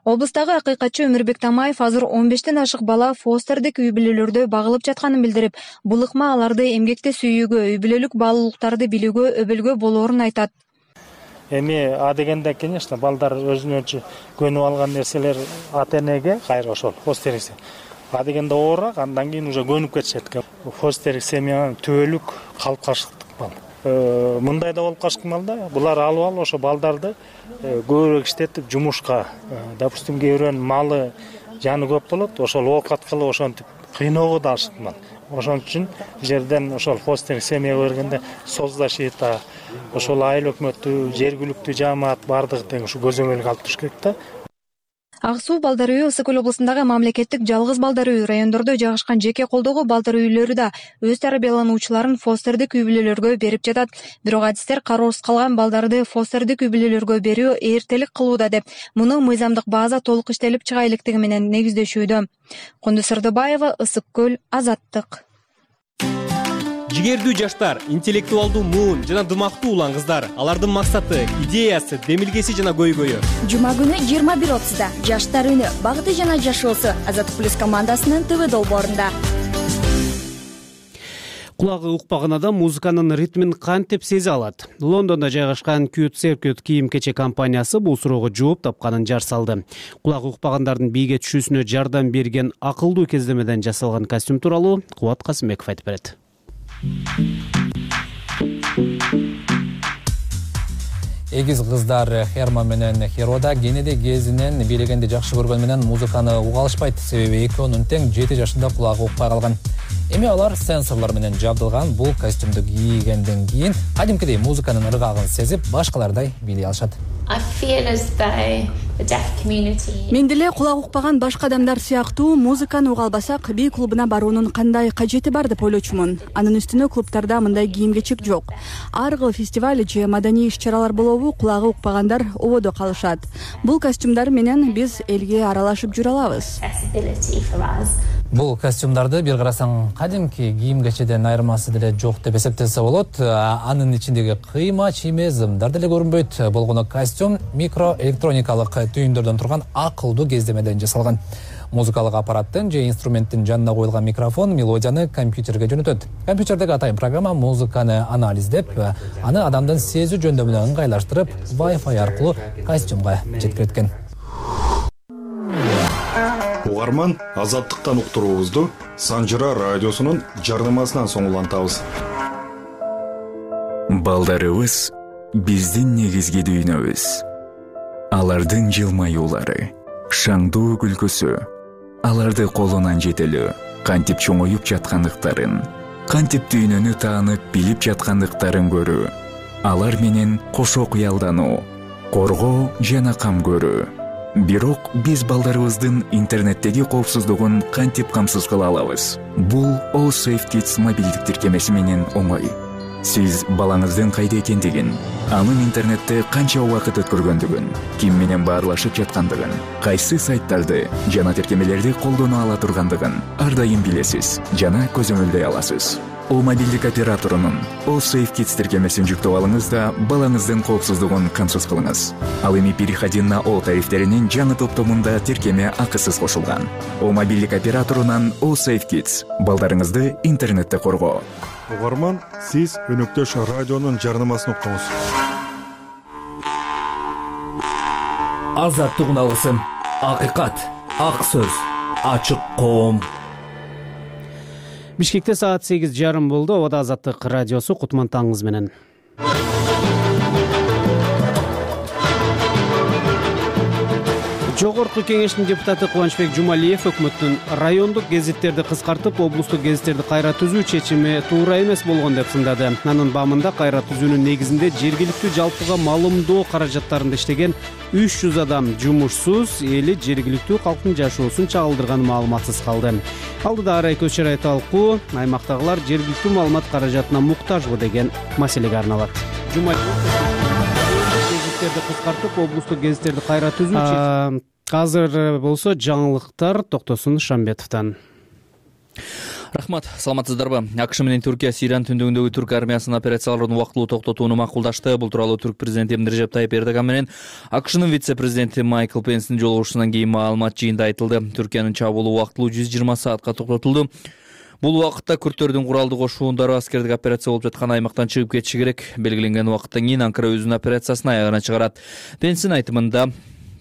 Облустагы акыйкатчы Өмүрбек Тамаев азыр он бештен ашык бала фостердик үй бүлөлөрдө багылып жатканын билдирип, бул ыкма аларды эмгекте сүйүүгө, үй бүлөлүк баалуулуктарды билүүгө өбөлгө болоорун айтат. Эми а дегенде, конечно, балдар өзүнөчү көнүп алган нерселер ата-энеге кайра ошол фостерик. А дегенде оорураак, андан кийин уже көнүп кетишет экен. Фостерик семьянын түбөлүк калыпташыктык бал. Мындай да болуп калышкан балда, булар алып алып ошо балдарды көбүрөөк иштетип жумушка, допустим, кээ бирөөнүн малы жаны көп болот, ошол оокат кылып ошентип кыйноого да алышкан. Ошон үчүн бул жерден ошол фостерик семьяга бергенде соцзащита, ошол айыл өкмөтү, жергиликтүү жамаат бардыгы тең ушу көзөмөлгө алып туруш керек да. Ак Суу балдар үйү Ысык Көл облусундагы мамлекеттик жалгыз балдар үйү, райондордо жайгашкан жеке колдоого балдар үйлөрү да өз тарбиялануучуларын фостердик үй бүлөлөргө берип жатат. Бирок адистер кароосуз калган балдарды фостердик үй бүлөлөргө берүү эртелик кылууда деп, муну мыйзамдык база толук иштелип чыга электиги менен негиздөшүүдө. Кундуз Сырдыбаева, Ысык Көл, Азаттык. Жигердүү жаштар, интеллектуалдуу муун жана дымактуу улан кыздар. Алардын максаты, идеясы, демилгеси жана көйгөйү. Жума күнү жыйырма бир отузда жаштар үнү, багыты жана жашоосу Азаттык плюс командасынын ТВ долбоорунда. Кулагы укпаган адам музыканын ритмин кантип сезе алат? Лондондо жайгашкан Cute Circuit кийим-кечек компаниясы бул суроого жооп тапканын жар салды. Кулагы укпагандардын бийге түшүүсүнө жардам берген акылдуу кездемеден жасалган костюм тууралуу Кубат Касымбеков айтып берет. Эгиз кыздар Херма менен Херода кенеде кезинен бийлегенди жакшы көргөн менен музыканы уга алышпайт, себеби экөөнүн тең жети жашында кулагы укпай калган. Эми алар сенсорлор менен жабдылган бул костюмду кийгенден кийин кадимкидей музыканын ыргагын сезип, башкалардай бийлей алышат. Мен деле кулак укпаган башка адамдар сыяктуу музыканы уга албасак, бий клубуна баруунун кандай кажети бар деп ойлочумун. Анын үстүнө клубтарда мындай кийим-кечек жок. Ар кыл фестиваль же маданий иш-чаралар болобу, кулагы укпагандар ободо калышат. Бул костюмдар менен биз элге аралашып жүрө алабыз. Бул костюмдарды бир карасаң кадимки кийим-кечеден айырмасы деле жок деп эсептесе болот. Анын ичиндеги кыйма, чийме, зымдар деле көрүнбөйт. Болгону костюм микроэлектроникалык түйүндөрдөн турган акылдуу кездемеден жасалган. Музыкалык аппараттын же инструменттин жанына коюлган микрофон мелодияны компьютерге жөнөтөт. Компьютердеги атайын программа музыканы анализдеп, аны адамдын сезүү жөндөмүнө ыңгайлаштырып, Wi-Fi аркылуу костюмга жеткирет. Угарман, Азаттыктан уктуруубузду Санжыра радиосунун жарнамасынан соң улантабыз. Балдарыбыз биздин негизги дүйнөбүз. Алардын жылмаюулары, шаңдуу күлкүсү, аларды колунан жетелөө, кантип чоңоюп жаткандыктарын, кантип дүйнөнү таанып билип жаткандыктарын көрүү, алар менен кошо кыялдануу, коргоо жана кам көрүү. Бирок биз балдарыбыздын интернеттеги коопсуздугун кантип камсыз кыла алабыз? Бул All Safe Kids мобилдик тиркемеси менен оңой. Сиз балаңыздын кайда экендигин, анын интернетте канча убакыт өткөргөндүгүн, ким менен баарлашып жаткандыгын, кайсы сайттарды жана тиркемелерди колдоно ала тургандыгын ар дайым билесиз жана көзөмөлдөй аласыз. О мобилдик операторунун All Safe Kids тиркемесин жүктөп алыңыз да балаңыздын коопсуздугун камсыз кылыңыз. Ал эми переходин на О тарифтеринин жаңы топтомунда тиркеме акысыз кошулган. О мобилдик операторунан All Safe Kids балдарыңызды интернетте коргоо. Угарман, сиз өнөктөш радионун жарнамасын уктуңуз. Азаттык алгысын, акыйкат, ак сөз, ачык коом. Бишкекте саат сегиз жарым болду. Обада Азаттык радиосу, Кутман таңыңыз менен. Жогорку кеңештин депутаты Кубанычбек Жумалиев өкмөттүн райондук гезиттерди кыскартып, облустук гезиттерди кайра түзүү чечими туура эмес болгон деп сындады. Анын бамында кайра түзүүнүн негизинде жергиликтүү жалпыга маалымдоо каражаттарында иштеген үч жүз адам жумушсуз, эли жергиликтүү калктын жашоосун чагылдырган маалыматсыз калды. Алдыда Арай Көз Чарай талкуу аймактагылар жергиликтүү маалымат каражатына муктажбы деген маселеге арналат. Жумалиев гезиттерди кыскартып, облустук гезиттерди кайра түзүү. Азыр болсо жаңылыктар Токтосун Шамбетовдон. Рахмат, саламатсыздарбы? АКШ менен Түркия Сириянын түндүгүндөгү түрк армиясынын операцияларын убактылуу токтотууну макулдашты. Бул тууралуу түрк президенти Режеп Тайип Эрдоган менен АКШнын вице-президенти Майкл Пенстин жолугушуусунан кийин маалымат жыйында айтылды. Түркиянын чабуулу убактылуу жүз жыйырма саатка токтотулду. Бул убакытта күрттөрдүн куралдуу кошуундары аскердик операция болуп жаткан аймактан чыгып кетиши керек. Белгиленген убакыттан кийин Анкара өзүнүн операциясын аягына чыгарат. Пенстин айтымында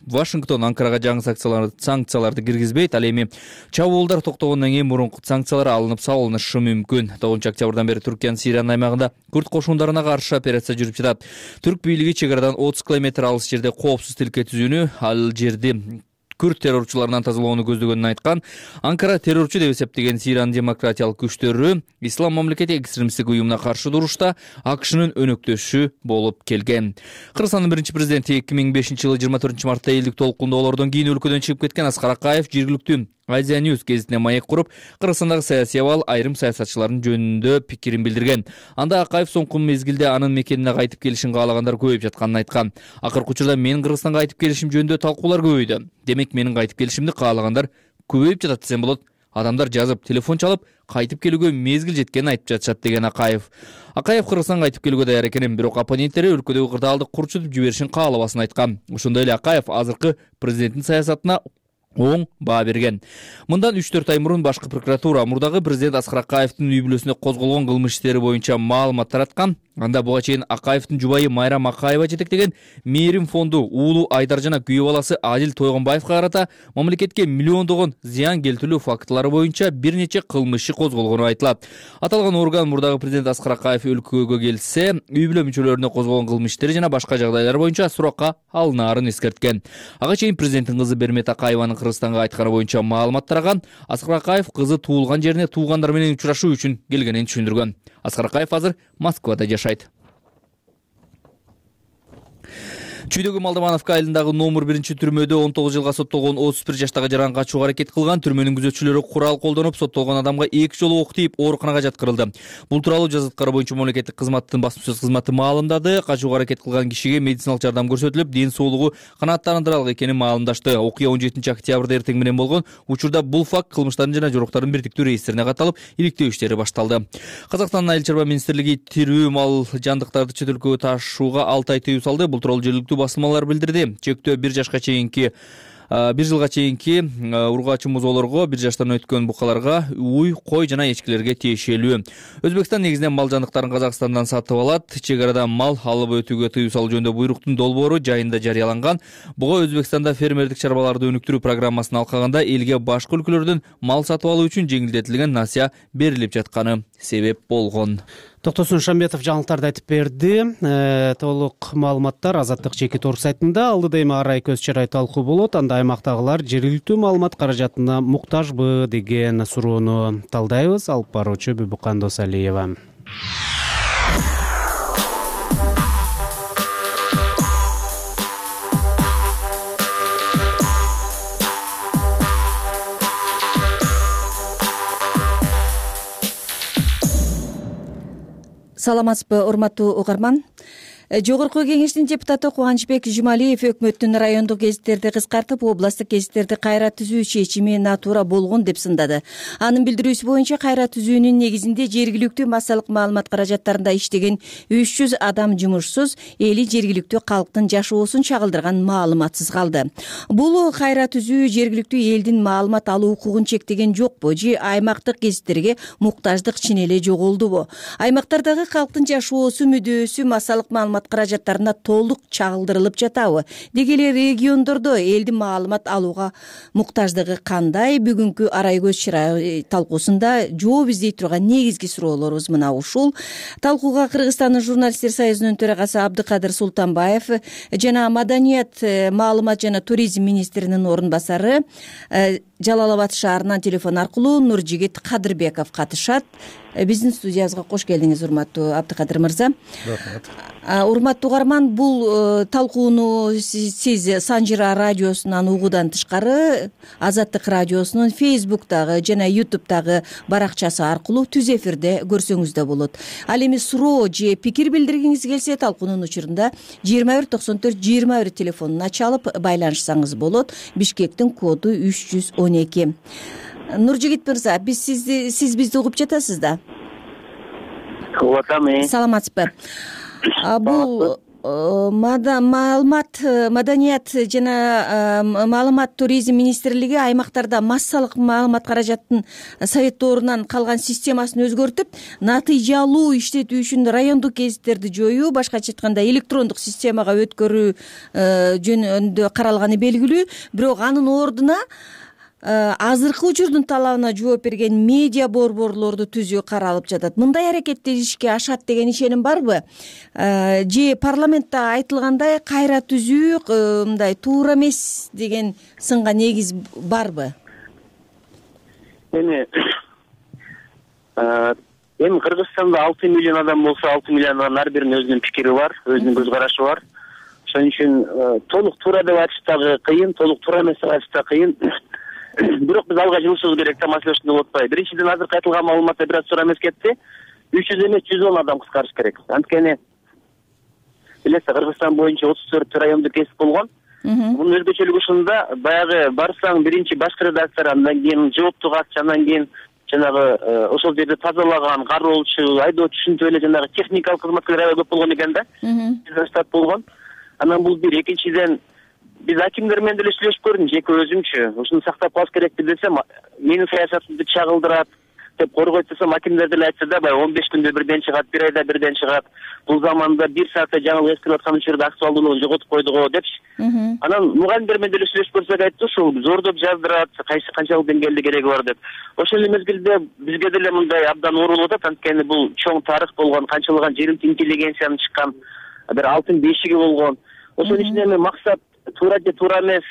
Вашингтон Анкарага жаңы санкцияларды киргизбейт. Ал эми чабуулдар токтогондон кийин мурунку санкциялар алынып салынышы мүмкүн. тогузунчу октябрдан бери Түркиянын Сириянын аймагында күрт кошундарына каршы операция жүрүп жатат. Түрк бийлиги чек арадан отуз километр алыс жерде коопсуз тилке түзүүнү, ал жерди күрт террорчуларынан тазалоону көздөгөнүн айткан. Анкара террорчу деп эсептеген Сириянын демократиялык күчтөрү Ислам мамлекети экстремисттик уюмуна каршы турушта АКШнын өнөктөшү болуп келген. Кыргызстандын биринчи президенти эки миң бешинчи жылы жыйырма төртүнчү мартта элдик толкундоолордон кийин өлкөдөн чыгып кеткен Аскар Акаев жергиликтүү Азия News гезитине маек куруп, Кыргызстандагы саясий абал, айрым саясатчылардын жөнүндө пикирин билдирген. Анда Акаев соңку мезгилде анын мекенине кайтып келишин каалагандар көбөйүп жатканын айткан. Акыркы учурда менин Кыргызстанга кайтып келишим жөнүндө талкуулар көбөйдү. Демек менин кайтып келишимди каалагандар көбөйүп жатат десем болот. Адамдар жазып, телефон чалып, кайтып келүүгө мезгил жеткенин айтып жатышат деген Акаев. Акаев Кыргызстанга кайтып келүүгө даяр экенин, бирок оппоненттери өлкөдөгү кырдаалды курчутуп жиберишин каалабасын айткан. Ошондой эле Акаев азыркы президенттин саясатына оң баа берген. Мындан үч төрт ай мурун башкы прокуратура мурдагы президент Аскар Акаевдин үй бүлөсүнө козголгон кылмыш иштери боюнча маалымат тараткан. Анда буга чейин Акаевдин жубайы Майрам Акаева жетектеген Мээрим фонду уулу Айдар жана күйөө баласы Адил Тойгонбаевга карата мамлекетке миллиондогон зыян келтирүү фактылары боюнча бир нече кылмыш иши козголгону айтылат. Аталган орган мурдагы президент Аскар Акаев өлкөгө келсе, үй бүлө мүчөлөрүнө козголгон кылмыш иштери жана башка жагдайлар боюнча суракка алынаарын эскерткен. Ага чейин президенттин кызы Бермет Акаеванын Кыргызстанга айтканы боюнча маалымат тараган. Аскар Акаев кызы туулган жерине туугандар менен учурашуу үчүн келгенин түшүндүргөн. Аскар Акаев азыр Москвада жашайт. Чүйдөгү Малдамановка айылындагы номер биринчи түрмөдө он тогуз жылга соттолгон отуз бир жаштагы жаран качууга аракет кылган. Түрмөнүн күзөтчүлөрү курал колдонуп, соттолгон адамга эки жолу ок тийип, ооруканага жаткырылды. Бул тууралуу жазаткары боюнча мамлекеттик кызматтын басма сөз кызматы маалымдады. Качууга аракет кылган кишиге медициналык жардам көрсөтүлүп, ден соолугу канааттандырарлык экенин маалымдашты. Окуя он жетинчи октябрда эртең менен болгон. Учурда бул факт кылмыштардын жана жоруктардын бирдиктүү реестрине катталып, иликтөө иштери башталды. Казакстандын Айыл чарба министрлиги тирүү мал жандыктарды чет өлкөгө ташууга алты ай тыюу салды. Бул тууралуу жергиликтүү басылмалар билдирди. Чектөө бир жашка чейинки бир жылга чейинки ургачы музоолорго, бир жаштан өткөн букаларга, уй, кой жана эчкилерге тиешелүү. Өзбекстан негизинен мал жандыктарын Казакстандан сатып алат. Чек арадан мал алып өтүүгө тыюу салуу жөнүндө буйруктун долбоору жайында жарыяланган. Буга Өзбекстанда фермердик чарбаларды өнүктүрүү программасын алкаганда элге башка өлкөлөрдөн мал сатып алуу үчүн жеңилдетилген насыя берилип жатканы себеп болгон. Токтосун Шамбетов жаңылыктарды айтып берди. Э, толук маалыматтар Азаттык жеке торг сайтында. Алдыда эми Арай Көз Чарай талкуу болот. Анда аймактагылар жергиликтүү маалымат каражатына муктажбы деген суроону талдайбыз. Алып баруучу Бүбүкан Досалиева. саламатсызбы урматтуу угарман. Жогорку кеңештин депутаты Кубанычбек Жумалиев өкмөттүн райондук гезиттерди кыскартып, областтык гезиттерди кайра түзүү чечими натуура болгон деп сындады. Анын билдирүүсү боюнча кайра түзүүнүн негизинде жергиликтүү массалык маалымат каражаттарында иштеген үч жүз адам жумушсуз, эли жергиликтүү калктын жашоосун чагылдырган маалыматсыз калды. Бул кайра түзүү жергиликтүү элдин маалымат алуу укугун чектеген жокпу же аймактык гезиттерге муктаждык чын эле жоголдубу? Аймактардагы калктын жашоосу мүдөөсү массалык маалымат каражаттарына толук чагылдырылып жатабы? Деги эле региондордо элдин маалымат алууга муктаждыгы кандай? Бүгүнкү арай көз чырай талкуусунда жооп издей турган негизги суроолорубуз мына ушул. Талкууга Кыргызстандын журналисттер союзунун төрагасы Абдыкадыр Султанбаев жана Маданият, маалымат жана туризм министринин орун басары Жалал Абад шаарынан телефон аркылуу Нуржигит Кадырбеков катышат. Биздин студиябызга кош келдиңиз, урматтуу Абдыкадыр мырза. Рахмат. Урматтуу угарман, бул талкууну сиз Санжира радиосунан угуудан тышкары Азаттык радиосунун Фейсбуктагы жана Ютубтагы баракчасы аркылуу түз эфирде көрсөңүз да болот. Ал эми суроо же пикир билдиргиңиз келсе, талкуунун учурунда жыйырма бир токсон төрт жыйырма бир телефонун ачалып байланышсаңыз болот. Бишкектин коду үч жүз он эки. Нуржигит мырза, биз сизди сиз бизди угуп жатасыз да? Угуп атам. Саламатсызбы? Бул маалымат, маданият жана маалымат туризм министрлиги аймактарда массалык маалымат каражаттын советтоорунан калган системасын өзгөртүп, натыйжалуу иштетүү үчүн райондук гезиттерди жоюу, башкача айтканда электрондук системага өткөрүү жөнүндө каралганы белгилүү. Бирок анын ордуна азыркы учурдун талабына жооп берген медиа борборлорду түзүү каралып жатат. Мындай аракеттер ишке ашат деген ишеним барбы? Же парламентте айтылгандай кайра түзүү мындай туура эмес деген сынга негиз барбы? Эми эми Кыргызстанда алты миллион адам болсо, алты миллиондон ар биринин өзүнүн пикири бар, өзүнүн көз карашы бар. Ошон үчүн толук туура деп айтыш дагы кыйын, толук туура эмес деп айтыш да кыйын. Бирок биз алга жылышыбыз керек да, маселе ушунда болуп атпайбы. Биринчиден, азыркы айтылган маалыматта бир аз туура эмес кетти. үч жүз эмес, жүз он адам кыскарыш керек. Анткени билесиз, Кыргызстан боюнча отуз төрт райондук гезит болгон. Мунун өзгөчөлүгү ушунда, баягы барсаң биринчи башкы редактор, андан кийин жооптуу катчы, андан кийин жанагы ошол жерде тазалаган кароолчу, айдоочу, ушинтип эле жанагы техникалык кызматкерлер аябай көп болгон экен да. Бизден штат болгон. Анан бул бир. Экинчиден, биз акимдер менен деле сүйлөшүп көрдүм, жеке өзүмчү. Ушуну сактап калыш керекпи десем, менин саясатымды чагылдырат деп коргойт десем, акимдер деле айтса да, баягы он беш күндө бирден чыгат, бир айда бирден чыгат. Бул заманда бир саатта жаңылык эскирип аткан учурда актуалдуулугун жоготуп койдук го депчи. Анан мугалимдер менен деле сүйлөшүп көрсөк, айтты ушул зордоп жаздырат, кайсы канчалык деңгээлде кереги бар деп. Ошол эле мезгилде бизге деле мындай абдан оорулуп атат, анткени бул чоң тарых болгон, канчалаган жерим интеллигенциянын чыккан бир алтын бешиги болгон. Ошонун ичинде эми максат туура же туура эмес,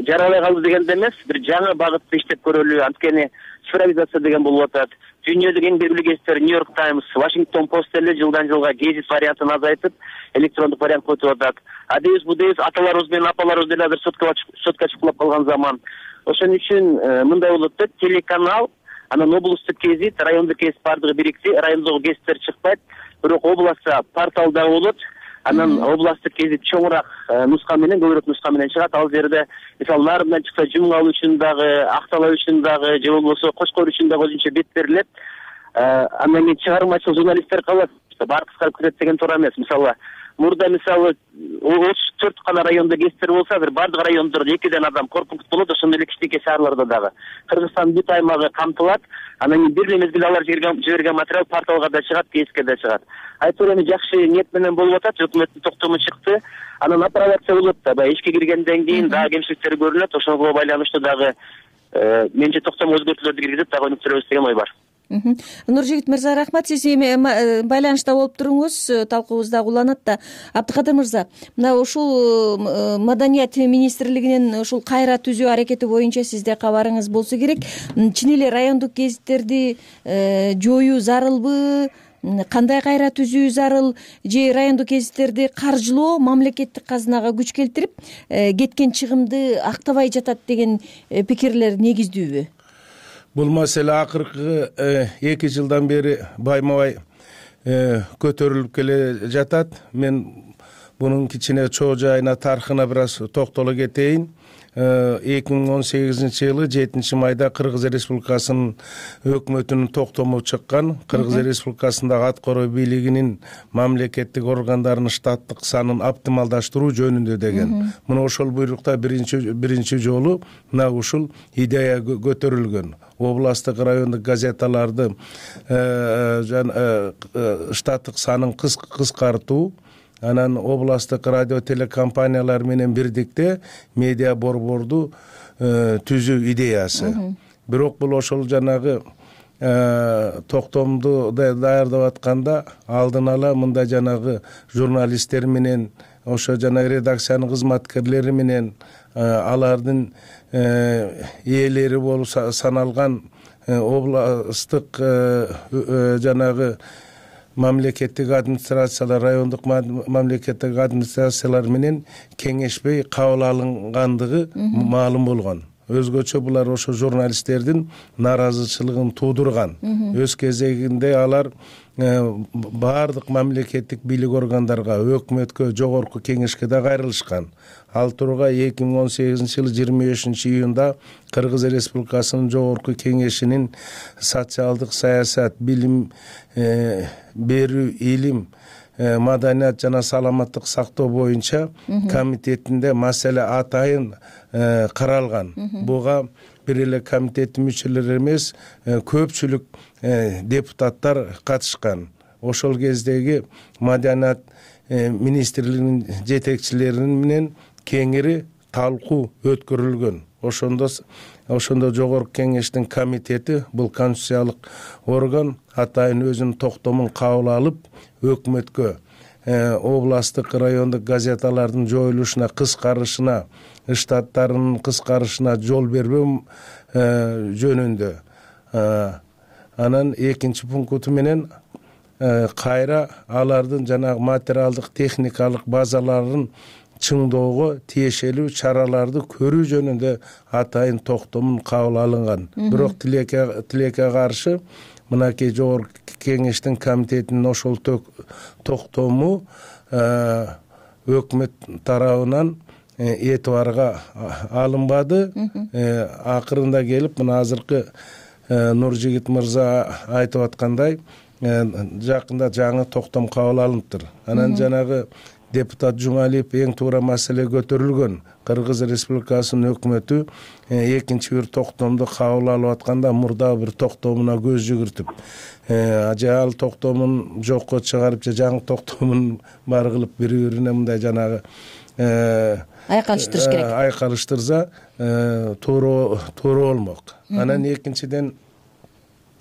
жаралай калды дегенде эмес, бир жаңы багытта иштеп көрөлү. Анткени цифровизация деген болуп атат. Дүйнөдөгү эң белгилүү гезиттер Нью-Йорк Таймс, Вашингтон Пост деле жылдан жылга гезит вариантын азайтып, электрондук вариант койтуп атат. Адебиз будебиз, аталарыбыз менен апаларыбыз деле азыр сотко чыккылап калган заман. Ошон үчүн мындай болот да, телеканал, анан облусттук гезит, райондук гезит бардыгы бирикти, райондогу гезиттер чыкпайт, бирок областта портал дагы болот. Анан областтык гезит чоңураак нуска менен, көбүрөөк нуска менен чыгат. Ал жерде мисалы Нарындан чыкса Жумгал үчүн дагы, Актала үчүн дагы, же болбосо Кошкор үчүн дагы өзүнчө бет берилет. Андан кийин чыгармачыл журналисттер калат. Баары кыскарып кетет деген туура эмес. Мисалы мурда мисалы отуз төрт гана райондо гезиттер болсо, азыр бардык райондордо экиден адам корпункт болот, ошондой эле кичинекей шаарларда дагы. Кыргызстандын бүт аймагы камтылат. Анан кийин бир эле мезгилде алар жиберген материал порталга да чыгат, гезитке да чыгат. Айтор эми жакшы ниет менен болуп атат, өкмөттүн токтому чыкты. Анан апробация болот да, баягы ишке киргенден кийин дагы кемчиликтер көрүнөт. Ошого байланыштуу дагы менче токтому өзгөртүүлөрдү киргизип дагы өнүктүрөбүз деген ой бар. Нуржигит мырза, рахмат. Сиз эми байланышта болуп туруңуз, талкуубуз дагы уланат да. Абдыкадыр мырза, мына ушул Маданият министрлигинин ушул кайра түзүү аракети боюнча сизде кабарыңыз болсо керек. Чын эле райондук гезиттерди жоюу зарылбы? Кандай кайра түзүү зарыл? Же райондук гезиттерди каржылоо мамлекеттик казынага күч келтирип, кеткен чыгымды актабай жатат деген пикирлер негиздүүбү? Бул маселе акыркы эки жылдан бери байма бай көтөрүлүп келе жатат. Мен бунун кичине чоо жайына, тарыхына бир аз токтоло кетейин. эки миң он сегизинчи жылы жетинчи майда Кыргыз Республикасынын өкмөтүнүн токтому чыккан. Кыргыз Республикасындагы аткаруу бийлигинин мамлекеттик органдарынын штаттык санын оптималдаштыруу жөнүндө деген. Мына ошол буйрукта биринчи биринчи жолу мына ушул идея көтөрүлгөн. Областтык, райондук газеталарды штаттык санын кыскартуу, анан областтык радио телекомпаниялар менен бирдикте медиа борборду түзүү идеясы. Бирок бул ошол жанагы токтомду даярдап атканда алдын ала мындай жанагы журналисттер менен, ошо жанагы редакциянын кызматкерлери менен, алардын ээлери болуп саналган областтык жанагы мамлекеттик администрациялар, райондук мамлекеттик администрациялар менен кеңешпей кабыл алынгандыгы маалым болгон. Өзгөчө булар ошо журналисттердин нааразычылыгын туудурган. Өз кезегинде алар баардык мамлекеттик бийлик органдарга, өкмөткө, жогорку кеңешке да кайрылышкан. Ал тургай эки миң он сегизинчи жылы жыйырма бешинчи июнда Кыргыз Республикасынын жогорку кеңешинин социалдык саясат, билим берүү, илим, маданият жана саламаттык сактоо боюнча комитетинде маселе атайын каралган. Буга бир эле комитеттин мүчөлөрү эмес, көпчүлүк депутаттар катышкан. Ошол кездеги маданият министрлигинин жетекчилеринин менен кеңири талкуу өткөрүлгөн. Ошондо ошондо жогорку кеңештин комитети, бул конституциялык орган, атайын өзүнүн токтомун кабыл алып, өкмөткө областтык, райондук газеталардын жоюлушуна, кыскарышына, штаттарынын кыскарышына жол бербөө жөнүндө. Анан экинчи пункту менен кайра алардын жанагы материалдык, техникалык базаларын чыңдоого тиешелүү чараларды көрүү жөнүндө атайын токтомун кабыл алынган. Бирок тилекке тилекке каршы мынакей жогорку кеңештин комитетинин ошол токтому өкмөт тарабынан этибарга алынбады. Акырында келип, мына азыркы Нуржигит мырза айтып аткандай, жакында жаңы токтом кабыл алыныптыр. Анан жанагы депутат Жумалиев эң туура маселе көтөрүлгөн. Кыргыз Республикасынын өкмөтү экинчи бир токтомду кабыл алып атканда мурда бир токтомуна көз жүгүртүп, же ал токтомун жокко чыгарып, же жаңы токтомун бар кылып бири-бирине мындай жанагы айкалыштырыш керек. Айкалыштырса туура туура болмок. Анан экинчиден,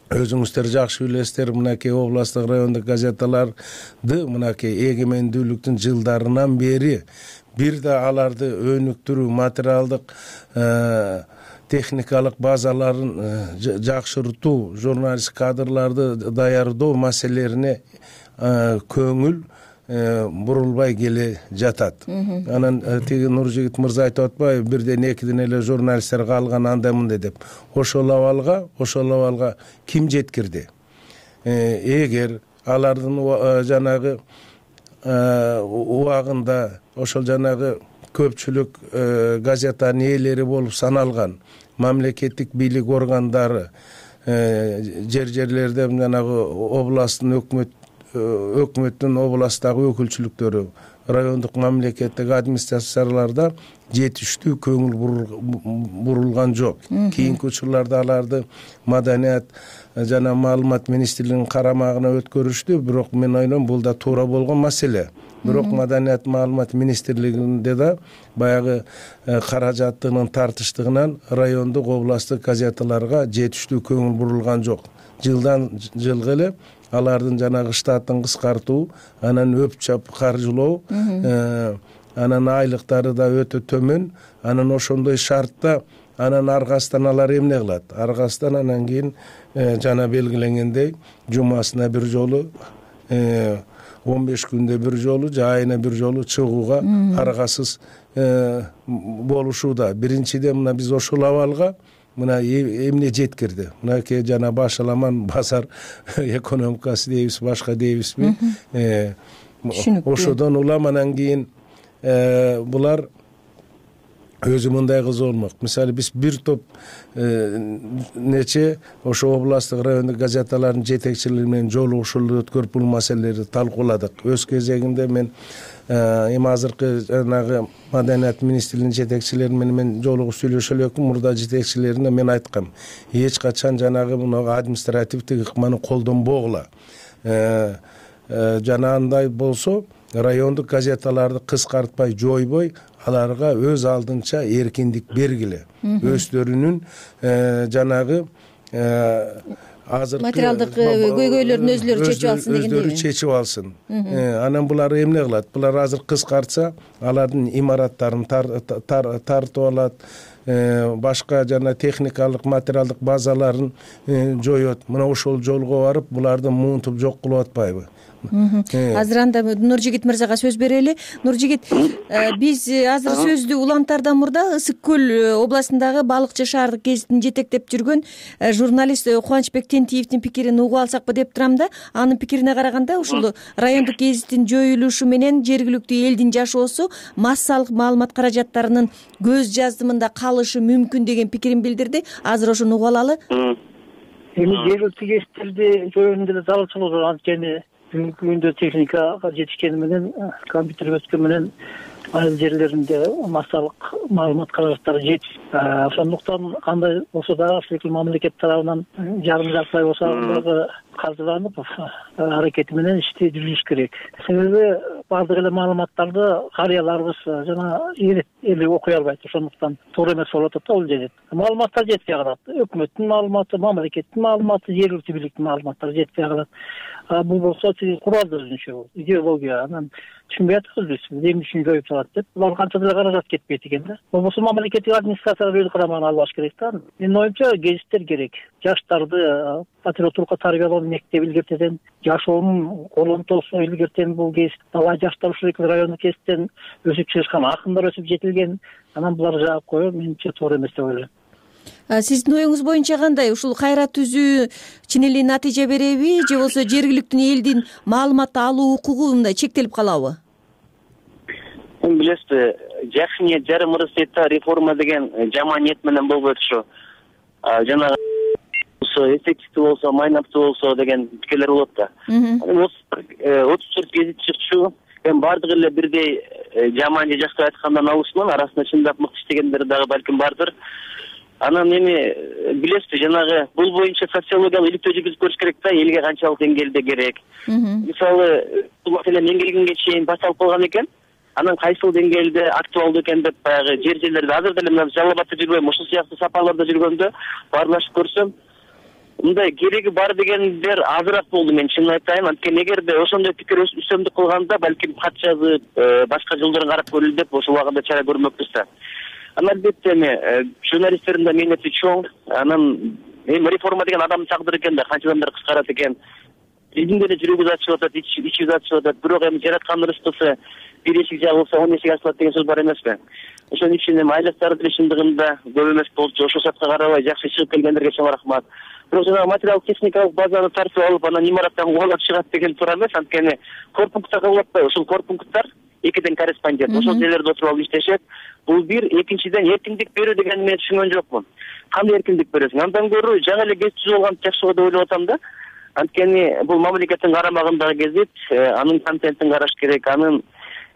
өзүңүздөр жакшы билесиздер, мынакей областтык, райондук газеталарды мынакей эгемендүүлүктүн жылдарынан бери бир да аларды өнүктүрүү, материалдык, техникалык базаларын жакшыртуу, журналист кадрларды даярдоо маселелерине көңүл бурулбай келе жатат. Анан тиги Нуржигит мырза айтып атпайбы, бирден экиден эле журналисттер калган андай мындай деп. Ошол абалга, ошол абалга ким жеткирди? Эгер алардын жанагы убагында ошол жанагы көпчүлүк газетанын ээлери болуп саналган мамлекеттик бийлик органдары, жер-жерлерде жанагы областтын өкмөт өкмөттүн областтагы өкүлчүлүктөрү, райондук мамлекеттик администрацияларда жетиштүү көңүл бурулган жок. Кийинки учурларда аларды маданият жана маалымат министрлигинин карамагына өткөрүштү, бирок мен ойлойм бул да туура болгон маселе. Бирок маданият маалымат министрлигинде да баягы каражаттынын тартыштыгынан райондук, областтык газеталарга жетиштүү көңүл бурулган жок. Жылдан жылга эле алардын жанагы штатын кыскартуу, анан өп-чап каржылоо, анан айлыктары да өтө төмөн, анан ошондой шартта анан аргасынан алар эмне кылат? Аргасынан анан кийин жана белгиленгендей жумасына бир жолу, он беш күндө бир жолу, же айына бир жолу чыгууга аргасыз болушууда. Биринчиден мына биз ошол абалга мына эмне жеткирди, мынакей жана башаламан базар экономикасы дейбиз, башка дейбизби, ошодон улам анан кийин булар өзү мындай кызык болмок. Мисалы биз бир топ нече ошо областтык райондук газеталардын жетекчилери менен жолугушуулар өткөрүп бул маселелерди талкууладык. Өз кезегинде мен эми азыркы жанагы маданият министрлигинин жетекчилери менен мен жолугуп сүйлөшө элекмин. Мурда жетекчилерине мен айткам, эч качан жанагы мына административдик ыкманы колдонбогула. Жана андай болсо райондук газеталарды кыскартпай, жойбой, аларга өз алдынча эркиндик бергиле. Өздөрүнүн жанагы азыркы материалдык көйгөйлөрүн өзлөрү чечип алсын дегендей. Өздөрү чечип алсын. Анан булар эмне кылат? Булар азыр кыскартса, алардын имараттарын тартып алат, башка жана техникалык, материалдык базаларын жоет. Мына ошол жолго барып, буларды муунтуп жок кылып атпайбы? Азыр анда Нуржигит мырзага сөз берели. Нуржигит, биз азыр сөздү улантаардан мурда Ысык көл областындагы Балыкчы шаардык гезитин жетектеп жүргөн журналист Кубанычбек Тентиевдин пикирин угуп алсакпы деп турам да. Анын пикирине караганда ушул райондук гезиттин жоюлушу менен жергиликтүү элдин жашоосу массалык маалымат каражаттарынын көз жаздымында калышы мүмкүн деген пикирин билдирди. Азыр ошону угуп алалы. Эми жергиликтүү гезиттерди жоюунун деле зарылчылыгы бар. Анткени бүгүнкү күндө техникага жетишкени менен, компьютер өткөн менен айыл жерлеринде массалык маалымат каражаттары жетиш. Ошондуктан кандай болсо дагы ушул мамлекет тарабынан жарым жартылай болсо дагы казыланып аракети менен ишти жүргүзүш керек. Себеби баардык эле маалыматтарды карыяларыбыз жана эли окуй албайт. Ошондуктан туура эмес болуп атат да, бул жерде. Маалыматтар жетпей калат. Өкмөттүн маалыматы, мамлекеттин маалыматы, жергиликтүү бийликтин маалыматтары жетпей калат. Бул болсо куралды өзүнчө идеология. Анан түшүнбөй атабыз биз. Эмне үчүн жоюп салат деп. Булар канча деле каражат кетпейт экен да. Болбосо мамлекеттик администрацияга өз карамагына албаш керек да. Менин оюмча гезиттер керек. Жаштарды патриоттукка тарбиялоо мектеп илгертеден, жашоонун колонтосу илгертен бул гезит. Бала жаштар ушул райондук гезиттен өсүп чыгышкан, акындар өсүп жетилген. Анан буларды жаап коюу менимче туура эмес деп ойлойм. Сиздин оюңуз боюнча кандай? Ушул кайра түзүү чын эле натыйжа береби же болбосо жергиликтүү элдин маалымат алуу укугу мындай чектелип калабы? Билесизби, жакшы ниет жарым ырыс дейт да, реформа деген жаман ниет менен болбойт ушу. Жанагы эффективдүү болсо, майнаптуу болсо деген пикирлер болот да. отуз төрт гезит чыкчу, эми баардык эле бирдей жаман же жакшы айткандан алышман, арасында чындап мыкты иштегендер дагы балким бардыр. Анан эми билесизби, жанагы бул боюнча социологиялык иликтөө жүргүзүп көрүш керек да, элге канчалык деңгээлде керек. Мисалы, бул маселе мен келгенге чейин башталып калган экен. Анан кайсыл деңгээлде актуалдуу экен деп баягы жер жерлерде азыр деле мына Жалал Абадта жүргөм, ушул сыяктуу сапарларда жүргөндө баарлашып көрсөм, мындай кереги бар дегендер азыраак болду, мен чынын айтайын. Анткени эгерде ошондой пикир үстөмдүк кылганда, балким кат жазып, башка жолдорун карап көрөлү деп ошол убагында чара көрмөкпүз да. Анан албетте эми журналисттердин да мээнети чоң. Анан эми реформа деген адамдын тагдыры экен да, канча адамдар кыскарат экен. Биздин деле жүрөгүбүз ачылып атат, ичибиз ачылып атат. Бирок эми жараткан рызкысы бир эшик жабылса он эшик ачылат деген сөз бар эмеспи? Ошон үчүн эми айлыктары деле чындыгында көп эмес болчу. Ошол шартка карабай жакшы чыгып келгендерге чоң рахмат. Бирок жанагы материалдык техникалык базаны тартып алып, анан имараттан кубалап чыгат деген туура эмес. Анткени корпунктта кабыл атпайбы? Ошол корпункттар экиден корреспондент ошол жерлерде отуруп алып иштешет. Бул бир, экинчиден эркиндик берүү дегенди мен түшүнгөн жокмун. Кандай эркиндик бересиң? Андан көрө жаңы эле гезит түзүп алган жакшы болот деп ойлоп атам да. Анткени бул мамлекеттин карамагындагы гезит, анын контентин караш керек, анын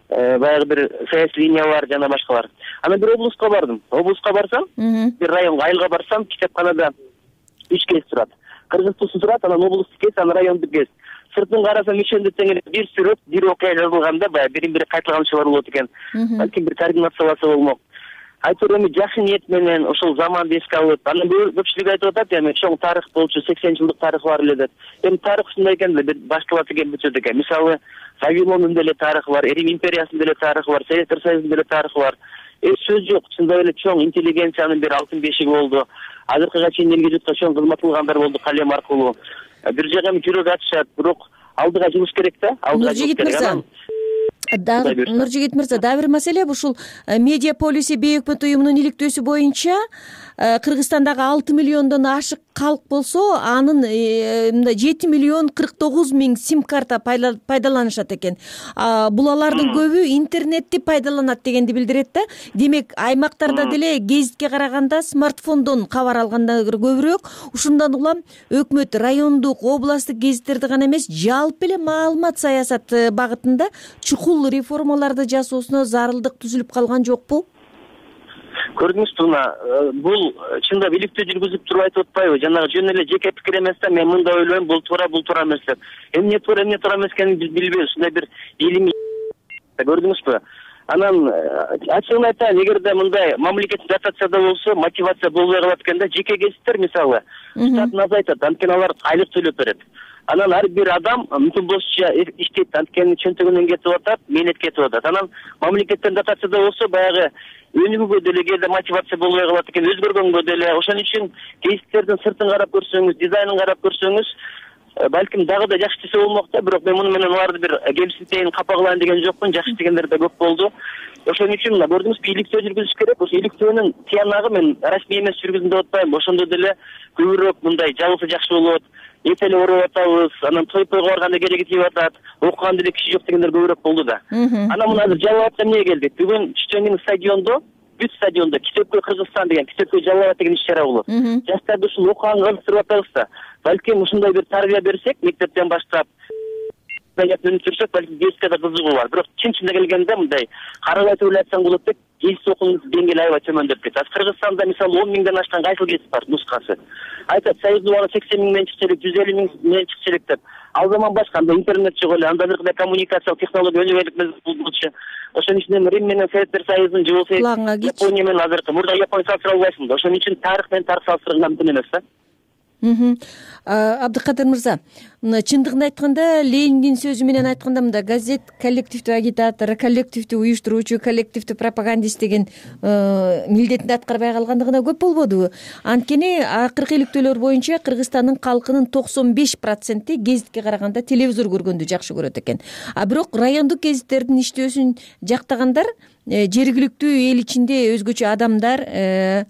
баягы бир саясий линиялар жана башкалар. Анан бир облуска бардым. Облуска барсам, бир районго, айылга барсам, китепканада үч гезит турат. Кыргызчасы турат, анан облустук гезит, анан райондук гезит. Сыртын карасам ишенди тең эле бир сүрөт, бир окуя жазылганда, баягы бирин бири кайталганчылар болот экен. Балким бир координацияласа болмок. Айтор эми жакшы ниет менен ошол заманды эске алып, анан көпчүлүк айтып атат, эми чоң тарых болчу, сексен жылдык тарых бар эле деп. Эми тарых ушундай экен да, башталат экен, бүтөт экен. Мисалы, Вавилондун деле тарыхы бар, Рим империясынын деле тарыхы бар, Советтер Союзунун деле тарыхы бар. Эч сөз жок, чындап эле чоң интеллигенциянын бир алтын бешиги болду. Азыркыга чейин элге журтка чоң кызмат кылгандар болду калем аркылуу. Бир жагы эми жүрөк ачышат, бирок алдыга жылыш керек да, алдыга жылыш керек. Анан Нуржигит мырза, дагы бир маселе ушул медиа полиси бейөкмөт уюмунун иликтөөсү боюнча Кыргызстандагы алты миллиондон ашык калк болсо, анын мындай жети миллион кырк тогуз миң сим карта пайдаланышат экен. Бул алардын көбү интернетти пайдаланат дегенди билдирет да. Демек, аймактарда деле гезитке караганда смартфондон кабар алганда көбүрөөк. Ушундан улам өкмөт райондук, областтык гезиттерди гана эмес, жалпы эле маалымат саясаты багытында чукул реформаларды жасоосуна зарылдык түзүлүп калган жокпу? Көрдүңүзбү, мына бул чындап иликтөө жүргүзүп туруп айтып атпайбы? Жанагы жөн эле жеке пикир эмес да, мен мындай ойлойм, бул туура, бул туура эмес деп. Эмне туура, эмне туура эмес экенин билбейбиз. Ушундай бир илимий көрдүңүзбү? Анан ачыгын айтайын, эгерде мындай мамлекеттик дотацияда болсо, мотивация болбой калат экен да. Жеке гезиттер мисалы штатын азайтат, анткени алар айлык төлөп берет. Анан ар бир адам мүмкүн болушунча иштейт, анткени чөнтөгүнөн кетип атат, мээнет кетип атат. Анан мамлекеттен дотацияда болсо, баягы өнүгүүгө деле кээде мотивация болбой калат экен, өзгөргөнгө деле. Ошон үчүн гезиттердин сыртын карап көрсөңүз, дизайнын карап көрсөңүз, балким дагы да жакшы иштесе болмок да, бирок мен муну менен аларды бир кемсинтейин, капа кылайын деген жокмун. Жакшы иштегендер да көп болду. Ошон үчүн мына көрдүңүзбү, иликтөө жүргүзүш керек. Ошо иликтөөнүн тиянагы мен расмий эмес жүргүзүм деп атпайм. Ошондо деле көбүрөөк мындай жабылса жакшы болот. Эте эле уруп атабыз, анан той тойго барганда кереги тийип атат, окуган деле киши жок дегендер көбүрөөк болду да. Анан мына азыр Жалал эмнеге келдик? Бүгүн Чеченин стадиондо, бүт стадиондо Китепкөй Кыргызстан деген, Китепкөй Жалал деген иш-чара болот. Жаштарды ушул окуганга ынтырып атабыз да. Балким ушундай бир тарбия берсек, мектептен баштап өнүктүрсөк, балким гезитке да кызыгуу бар. Бирок чын-чынында келгенде мындай карабай туруп айтсаң болот деп, гезит окуунун деңгээли аябай төмөндөп кетти. Азыр Кыргызстанда мисалы он миңден ашкан кайсыл гезит бар нускасы. Айтат, союздуу убагы сексен миң менен чыкчу элек, жүз элүү миң менен чыкчу элек деп. Ал заман башка, анда интернет жок эле, анда бир коммуникациялык технология өнүгө болчу. Ошон үчүн эми Рим менен Советтер Союзунун же болсо Япония менен азыркы мурда Япония салыштыра албайсың да. Ошон үчүн тарых менен тарых салыштырган мүмкүн эмес да. Абдыкадыр мырза, чындыгын айтканда, Лениндин сөзү менен айтканда, мында газет коллективдүү агитатор, коллективдүү уюштуруучу, коллективдүү пропагандист деген милдетин аткарбай калгандыгына көп болбодубу? Анткени акыркы иликтөөлөр боюнча Кыргызстандын калкынын токсон беш проценти гезитке караганда телевизор көргөндү жакшы көрөт экен. А бирок райондук гезиттердин иштөөсүн жактагандар жергиликтүү эл ичинде өзгөчө адамдар,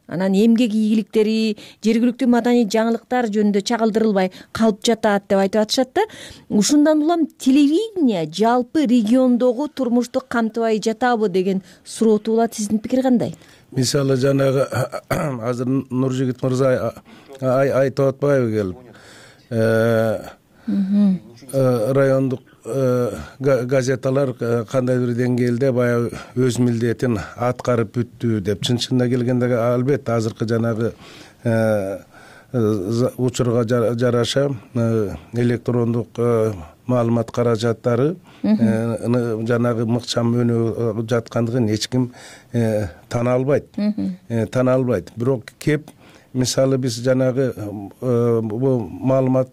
анан эмгек ийгиликтери, жергиликтүү маданий жаңылыктар жөнүндө чагылдырылбай калып жатат деп айтып атышат да. Ушундан улам телевидение жалпы региондогу турмушту камтыбай жатабы деген суроо туулат. Сиздин пикир кандай? Мисалы жанагы азыр Нуржигит мырза айтып атпайбы келип? Райондук газеталар кандай бир деңгээлде баягы өз милдетин аткарып бүттү деп. Чын-чынында келгенде албетте азыркы жанагы учурга жараша электрондук маалымат каражаттары жанагы мыкчам өнүгүп жаткандыгын эч ким тана албайт. Тана албайт. Бирок кеп мисалы биз жанагы бул маалымат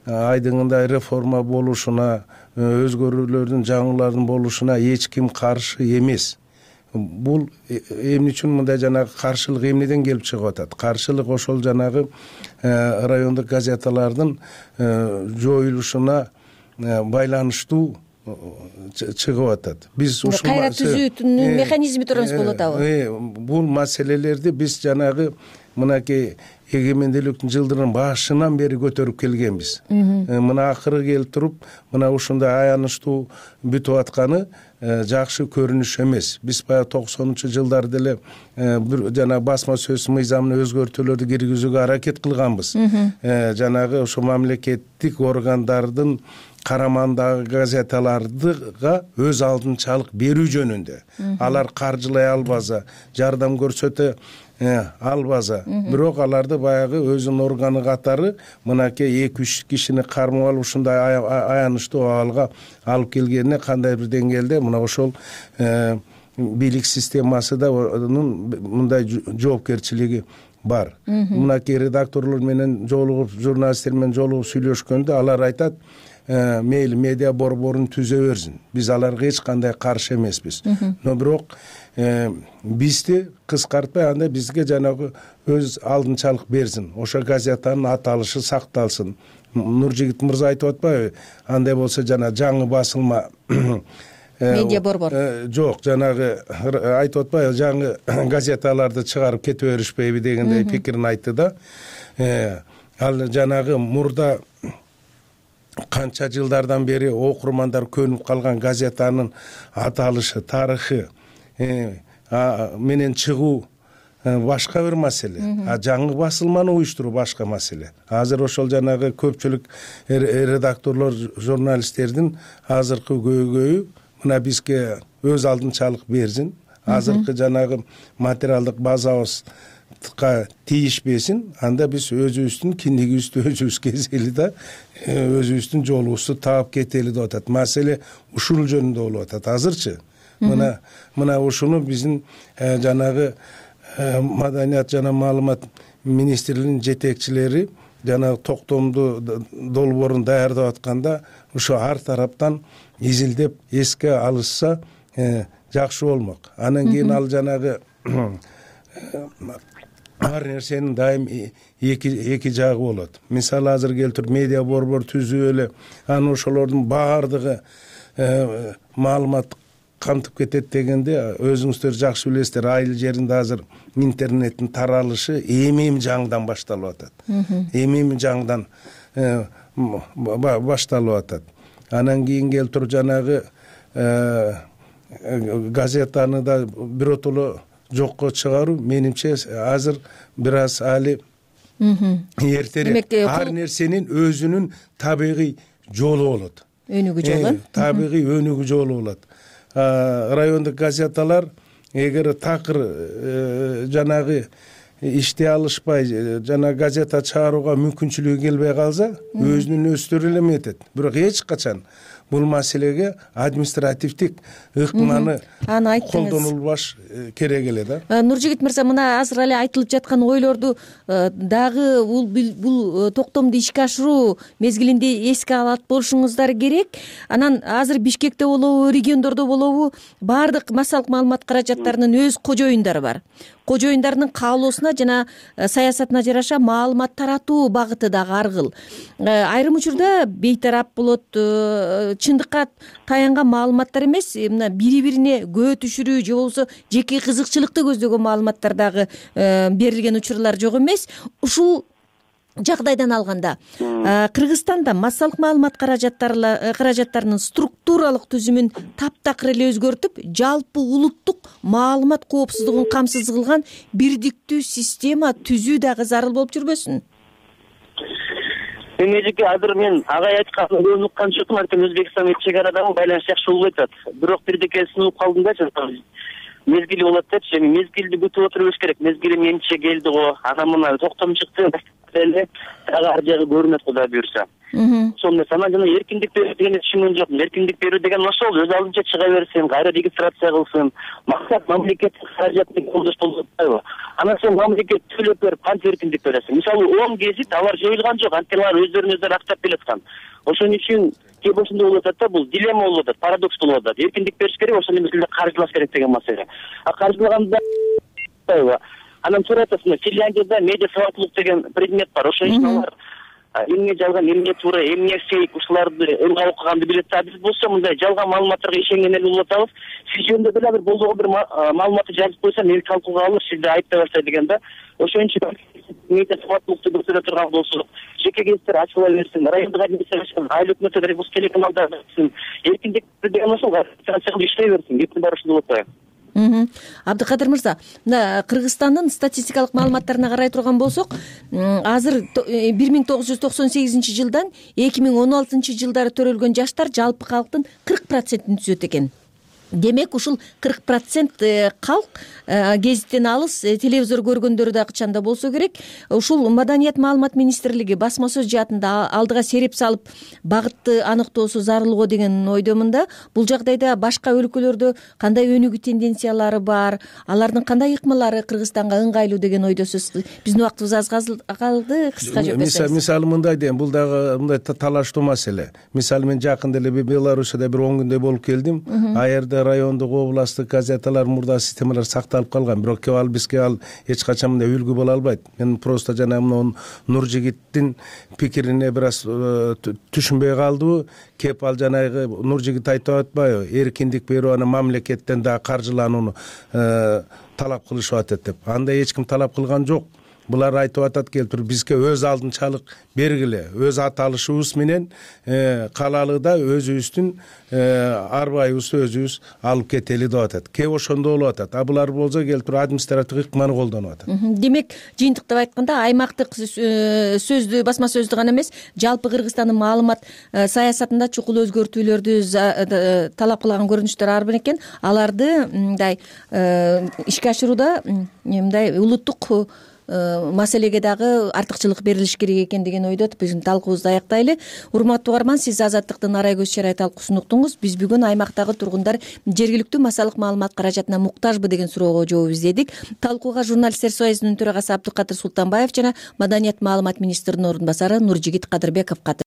айдыңында реформа болушуна, өзгөрүүлөрдүн, жаңылардын болушуна эч ким каршы эмес. Бул эмне үчүн мындай жанагы каршылык эмнеден келип чыгып атат? Каршылык ошол жанагы райондук газеталардын жоюлушуна байланыштуу чыгып атат. Биз ушул кайра түзүүнүн механизми туурасында болуп атабы? Бул маселелерди биз жанагы мынакей эгемендүүлүктүн жылдырынын башынан бери көтөрүп келгенбиз. Мына акыры келип туруп, мына ушундай аянычтуу бүтүп атканы жакшы көрүнүш эмес. Биз баягы токсонунчу жылдары деле бир жана басма сөз мыйзамына өзгөртүүлөрдү киргизүүгө аракет кылганбыз. Жанагы ошо мамлекеттик органдардын карамандагы газеталарга өз алдынчалык берүү жөнүндө. Алар каржылай албаса, жардам көрсөтө албаса, бирок аларды баягы өзүнүн органы катары мынакей эки үч кишини кармап алып ушундай аянычтуу абалга алып келгенине кандай бир деңгээлде мына ошол бийлик системасы да мындай жоопкерчилиги бар. Мынакей редакторлор менен жолугуп, журналисттер менен жолугуп сүйлөшкөндө алар айтат, мейли медиа борборун түзө берсин. Биз аларга эч кандай каршы эмеспиз. Но бирок бизди кыскартпай анда бизге жанагы өз алдынчалык берсин. Ошо газетанын аталышы сакталсын. Нуржигит мырза айтып атпайбы? Андай болсо жана жаңы басылма медиа борбор жок, жанагы айтып атпайбы, жаңы газеталарды чыгарып кете беришпейби дегендей пикирин айтты да. Ал жанагы мурда канча жылдардан бери окурмандар көнүп калган газетанын аталышы, тарыхы менен чыгуу башка бир маселе, а жаңы басылманы уюштуруу башка маселе. Азыр ошол жанагы көпчүлүк редакторлор, журналисттердин азыркы көйгөйү мына бизге өз алдынчалык берсин, азыркы жанагы материалдык базабызга тийишпесин, анда биз өзүбүздүн киндигибизди өзүбүз кезели да, өзүбүздүн жолубузду таап кетели деп атат. Маселе ушул жөнүндө болуп атат азырчы. Мына мына ушуну биздин жанагы маданият жана маалымат министрлигинин жетекчилери жана токтомду долбоорун даярдап атканда ушу ар тараптан изилдеп эске алышса жакшы болмок. Анан кийин ал жанагы ар нерсенин дайым эки эки жагы болот. Мисалы азыр келтирип медиа борбор түзүп эле анан ошолордун баардыгы маалымат кантып кетет дегенде, өзүңүздөр жакшы билесиздер, айыл жеринде азыр интернеттин таралышы эми-эми жаңыдан башталып атат. Эми-эми жаңыдан башталып атат. Анан кийин келтирип жанагы газетаны да биротоло жокко чыгаруу менимче азыр бир аз али эртерээк. Ар нерсенин өзүнүн табигый жолу болот. Өнүгүү жолу. Табигый өнүгүү жолу болот. Райондук газеталар эгер такыр жанагы иштей алышпай, жана газета чыгарууга мүмкүнчүлүгү келбей калса, өзүнүн өстөрү эле эметет. Бирок эч качан бул маселеге административдик ыкманы колдонулбаш керек эле да. Нуржигит мырза, мына азыр эле айтылып жаткан ойлорду дагы бул бул токтомду ишке ашыруу мезгилинде эске алат болушуңуздар керек. Анан азыр Бишкекте болобу, региондордо болобу, баардык массалык маалымат каражаттарынын өз кожоюндары бар. Кожоюндарынын каалоосуна жана саясатына жараша маалымат таратуу багыты дагы ар кыл. Айрым учурда бейтарап болот, чындыкка таянган маалыматтар эмес, мына бири-бирине көө түшүрүү же болбосо жеке кызыкчылыкты көздөгөн маалыматтар дагы берилген учурлар жок эмес. Ушул жагдайдан алганда Кыргызстанда массалык маалымат каражаттарынын структуралык түзүмүн таптакыр эле өзгөртүп, жалпы улуттук маалымат коопсуздугун камсыз кылган бирдиктүү система түзүү дагы зарыл болуп жүрбөсүн? Эмежеке азыр мен агай айтканын көп уккан жокмун, анткени Өзбекстан менен чек арадагы байланыш жакшы болбой атат. Бирок бирдеке сунуп калдым да, мезгили болот депчи, эми мезгилди күтүп отурубуз керек. Мезгили менимче келди го, анан мына токтом чыкты эле дагы ар жагы көрүнөт, Кудай буюрса. Ошол эмес, анан жана эркиндик берүү дегенди түшүнгөн жокмун. Эркиндик берүү деген ошол, өз алдынча чыга берсин, кайра регистрация кылсын. Максат мамлекеттик каражатты колдош болуп атпайбы? Анан сен мамлекет төлөп берип кантип эркиндик бересиң? Мисалы он гезит алар жоюлган жок, анткени алар өздөрүн өздөрү актап келаткан. Ошон үчүн кээ ошондой болуп атат да, бул дилемма болуп атат, парадокс болуп атат. Эркиндик бериш керек, ошол мезгилде каржылаш керек деген маселе. А каржылаганда анан сурап атасың, Финляндияда медиа сабактуулук деген предмет бар. Ошон үчүн алар эмне жалган, эмне туура, эмне фейк, ушуларды ылгап окуганды билет. А биз болсо мындай жалган маалыматтарга ишенген эле болуп атабыз. Сиз жөнүндө деле бир болдого бир маалыматты жазып койсо, мени талкууга алып, сизди айыптай баштайт деген да. Ошон үчүн медиа сабактуулукту көрсөтө турган болсок, жеке гезиттер ачыла берсин, райондук администрация, айыл өкмөттөр, Ребускелеканалдар берсин, эркиндик деген ошол администрация иштей берсин, кеттин баары ушундай болуп атпайбы? Абдыкадыр мырза, мына Кыргызстандын статистикалык маалыматтарына карай турган болсок, азыр бир миң тогуз жүз токсон сегизинчи жылдан эки миң он алтынчы жылдары төрөлгөн жаштар жалпы калктын кырк процентин түзөт экен. Демек, ушул кырк процент калк гезиттен алыс, телевизор көргөндөрү да кычанда болсо керек. Ушул Маданият маалымат министрлиги басма сөз жаатында алдыга сереп салып, багытты аныктоосу зарыл го деген ойдомун да. Бул жагдайда башка өлкөлөрдө кандай өнүгүү тенденциялары бар, алардын кандай ыкмалары Кыргызстанга ыңгайлуу деген ойдосуз? Биздин убактыбыз аз калды, кыска жооп берсеңиз. Мисалы мындай дейм, бул дагы мындай талаштуу маселе. Мисалы мен жакында эле Белоруссияда бир он күндөй болуп келдим. Аерда баягы райондук областтык газеталар мурда системалар сакталып калган, бирок кеп ал бизге ал эч качан мындай үлгү боло албайт. Мен просто жана мына Нуржигиттин пикирине бир аз түшүнбөй калдыбы, кеп ал жанагы Нуржигит айтып атпайбы, эркиндик берип аны мамлекеттен дагы каржыланууну талап кылышып атат деп. Андай эч ким талап кылган жок. Булар айтып атат келип туруп бизге өз алдынчалык бергиле, өз аталышыбыз менен калалыда өзүбүздүн арбайыбызды өзүбүз алып кетели деп атат. Кээ ошондо болуп атат. А булар болсо келип туруп административдик ыкманы колдонуп атат. Демек, жыйынтыктап айтканда аймактык сөздү, басма сөздү гана эмес, жалпы Кыргызстандын маалымат саясатында чукул өзгөртүүлөрдү талап кылган көрүнүштөр бар экен. Аларды мындай ишке ашырууда мындай улуттук маселеге дагы артыкчылык берилиш керек экен деген ойдо биздин талкуубузду аяктайлы. Урматтуу угарман, сиз Азаттыктын Арай көз чарай талкуусун уктуңуз. Биз бүгүн аймактагы тургундар жергиликтүү массалык маалымат каражатына муктажбы деген суроого жооп издедик. Талкууга журналисттер союзунун төрагасы Абдыкадыр Султанбаев жана Маданият маалымат министринин орун басары Нуржигит Кадырбеков катышты.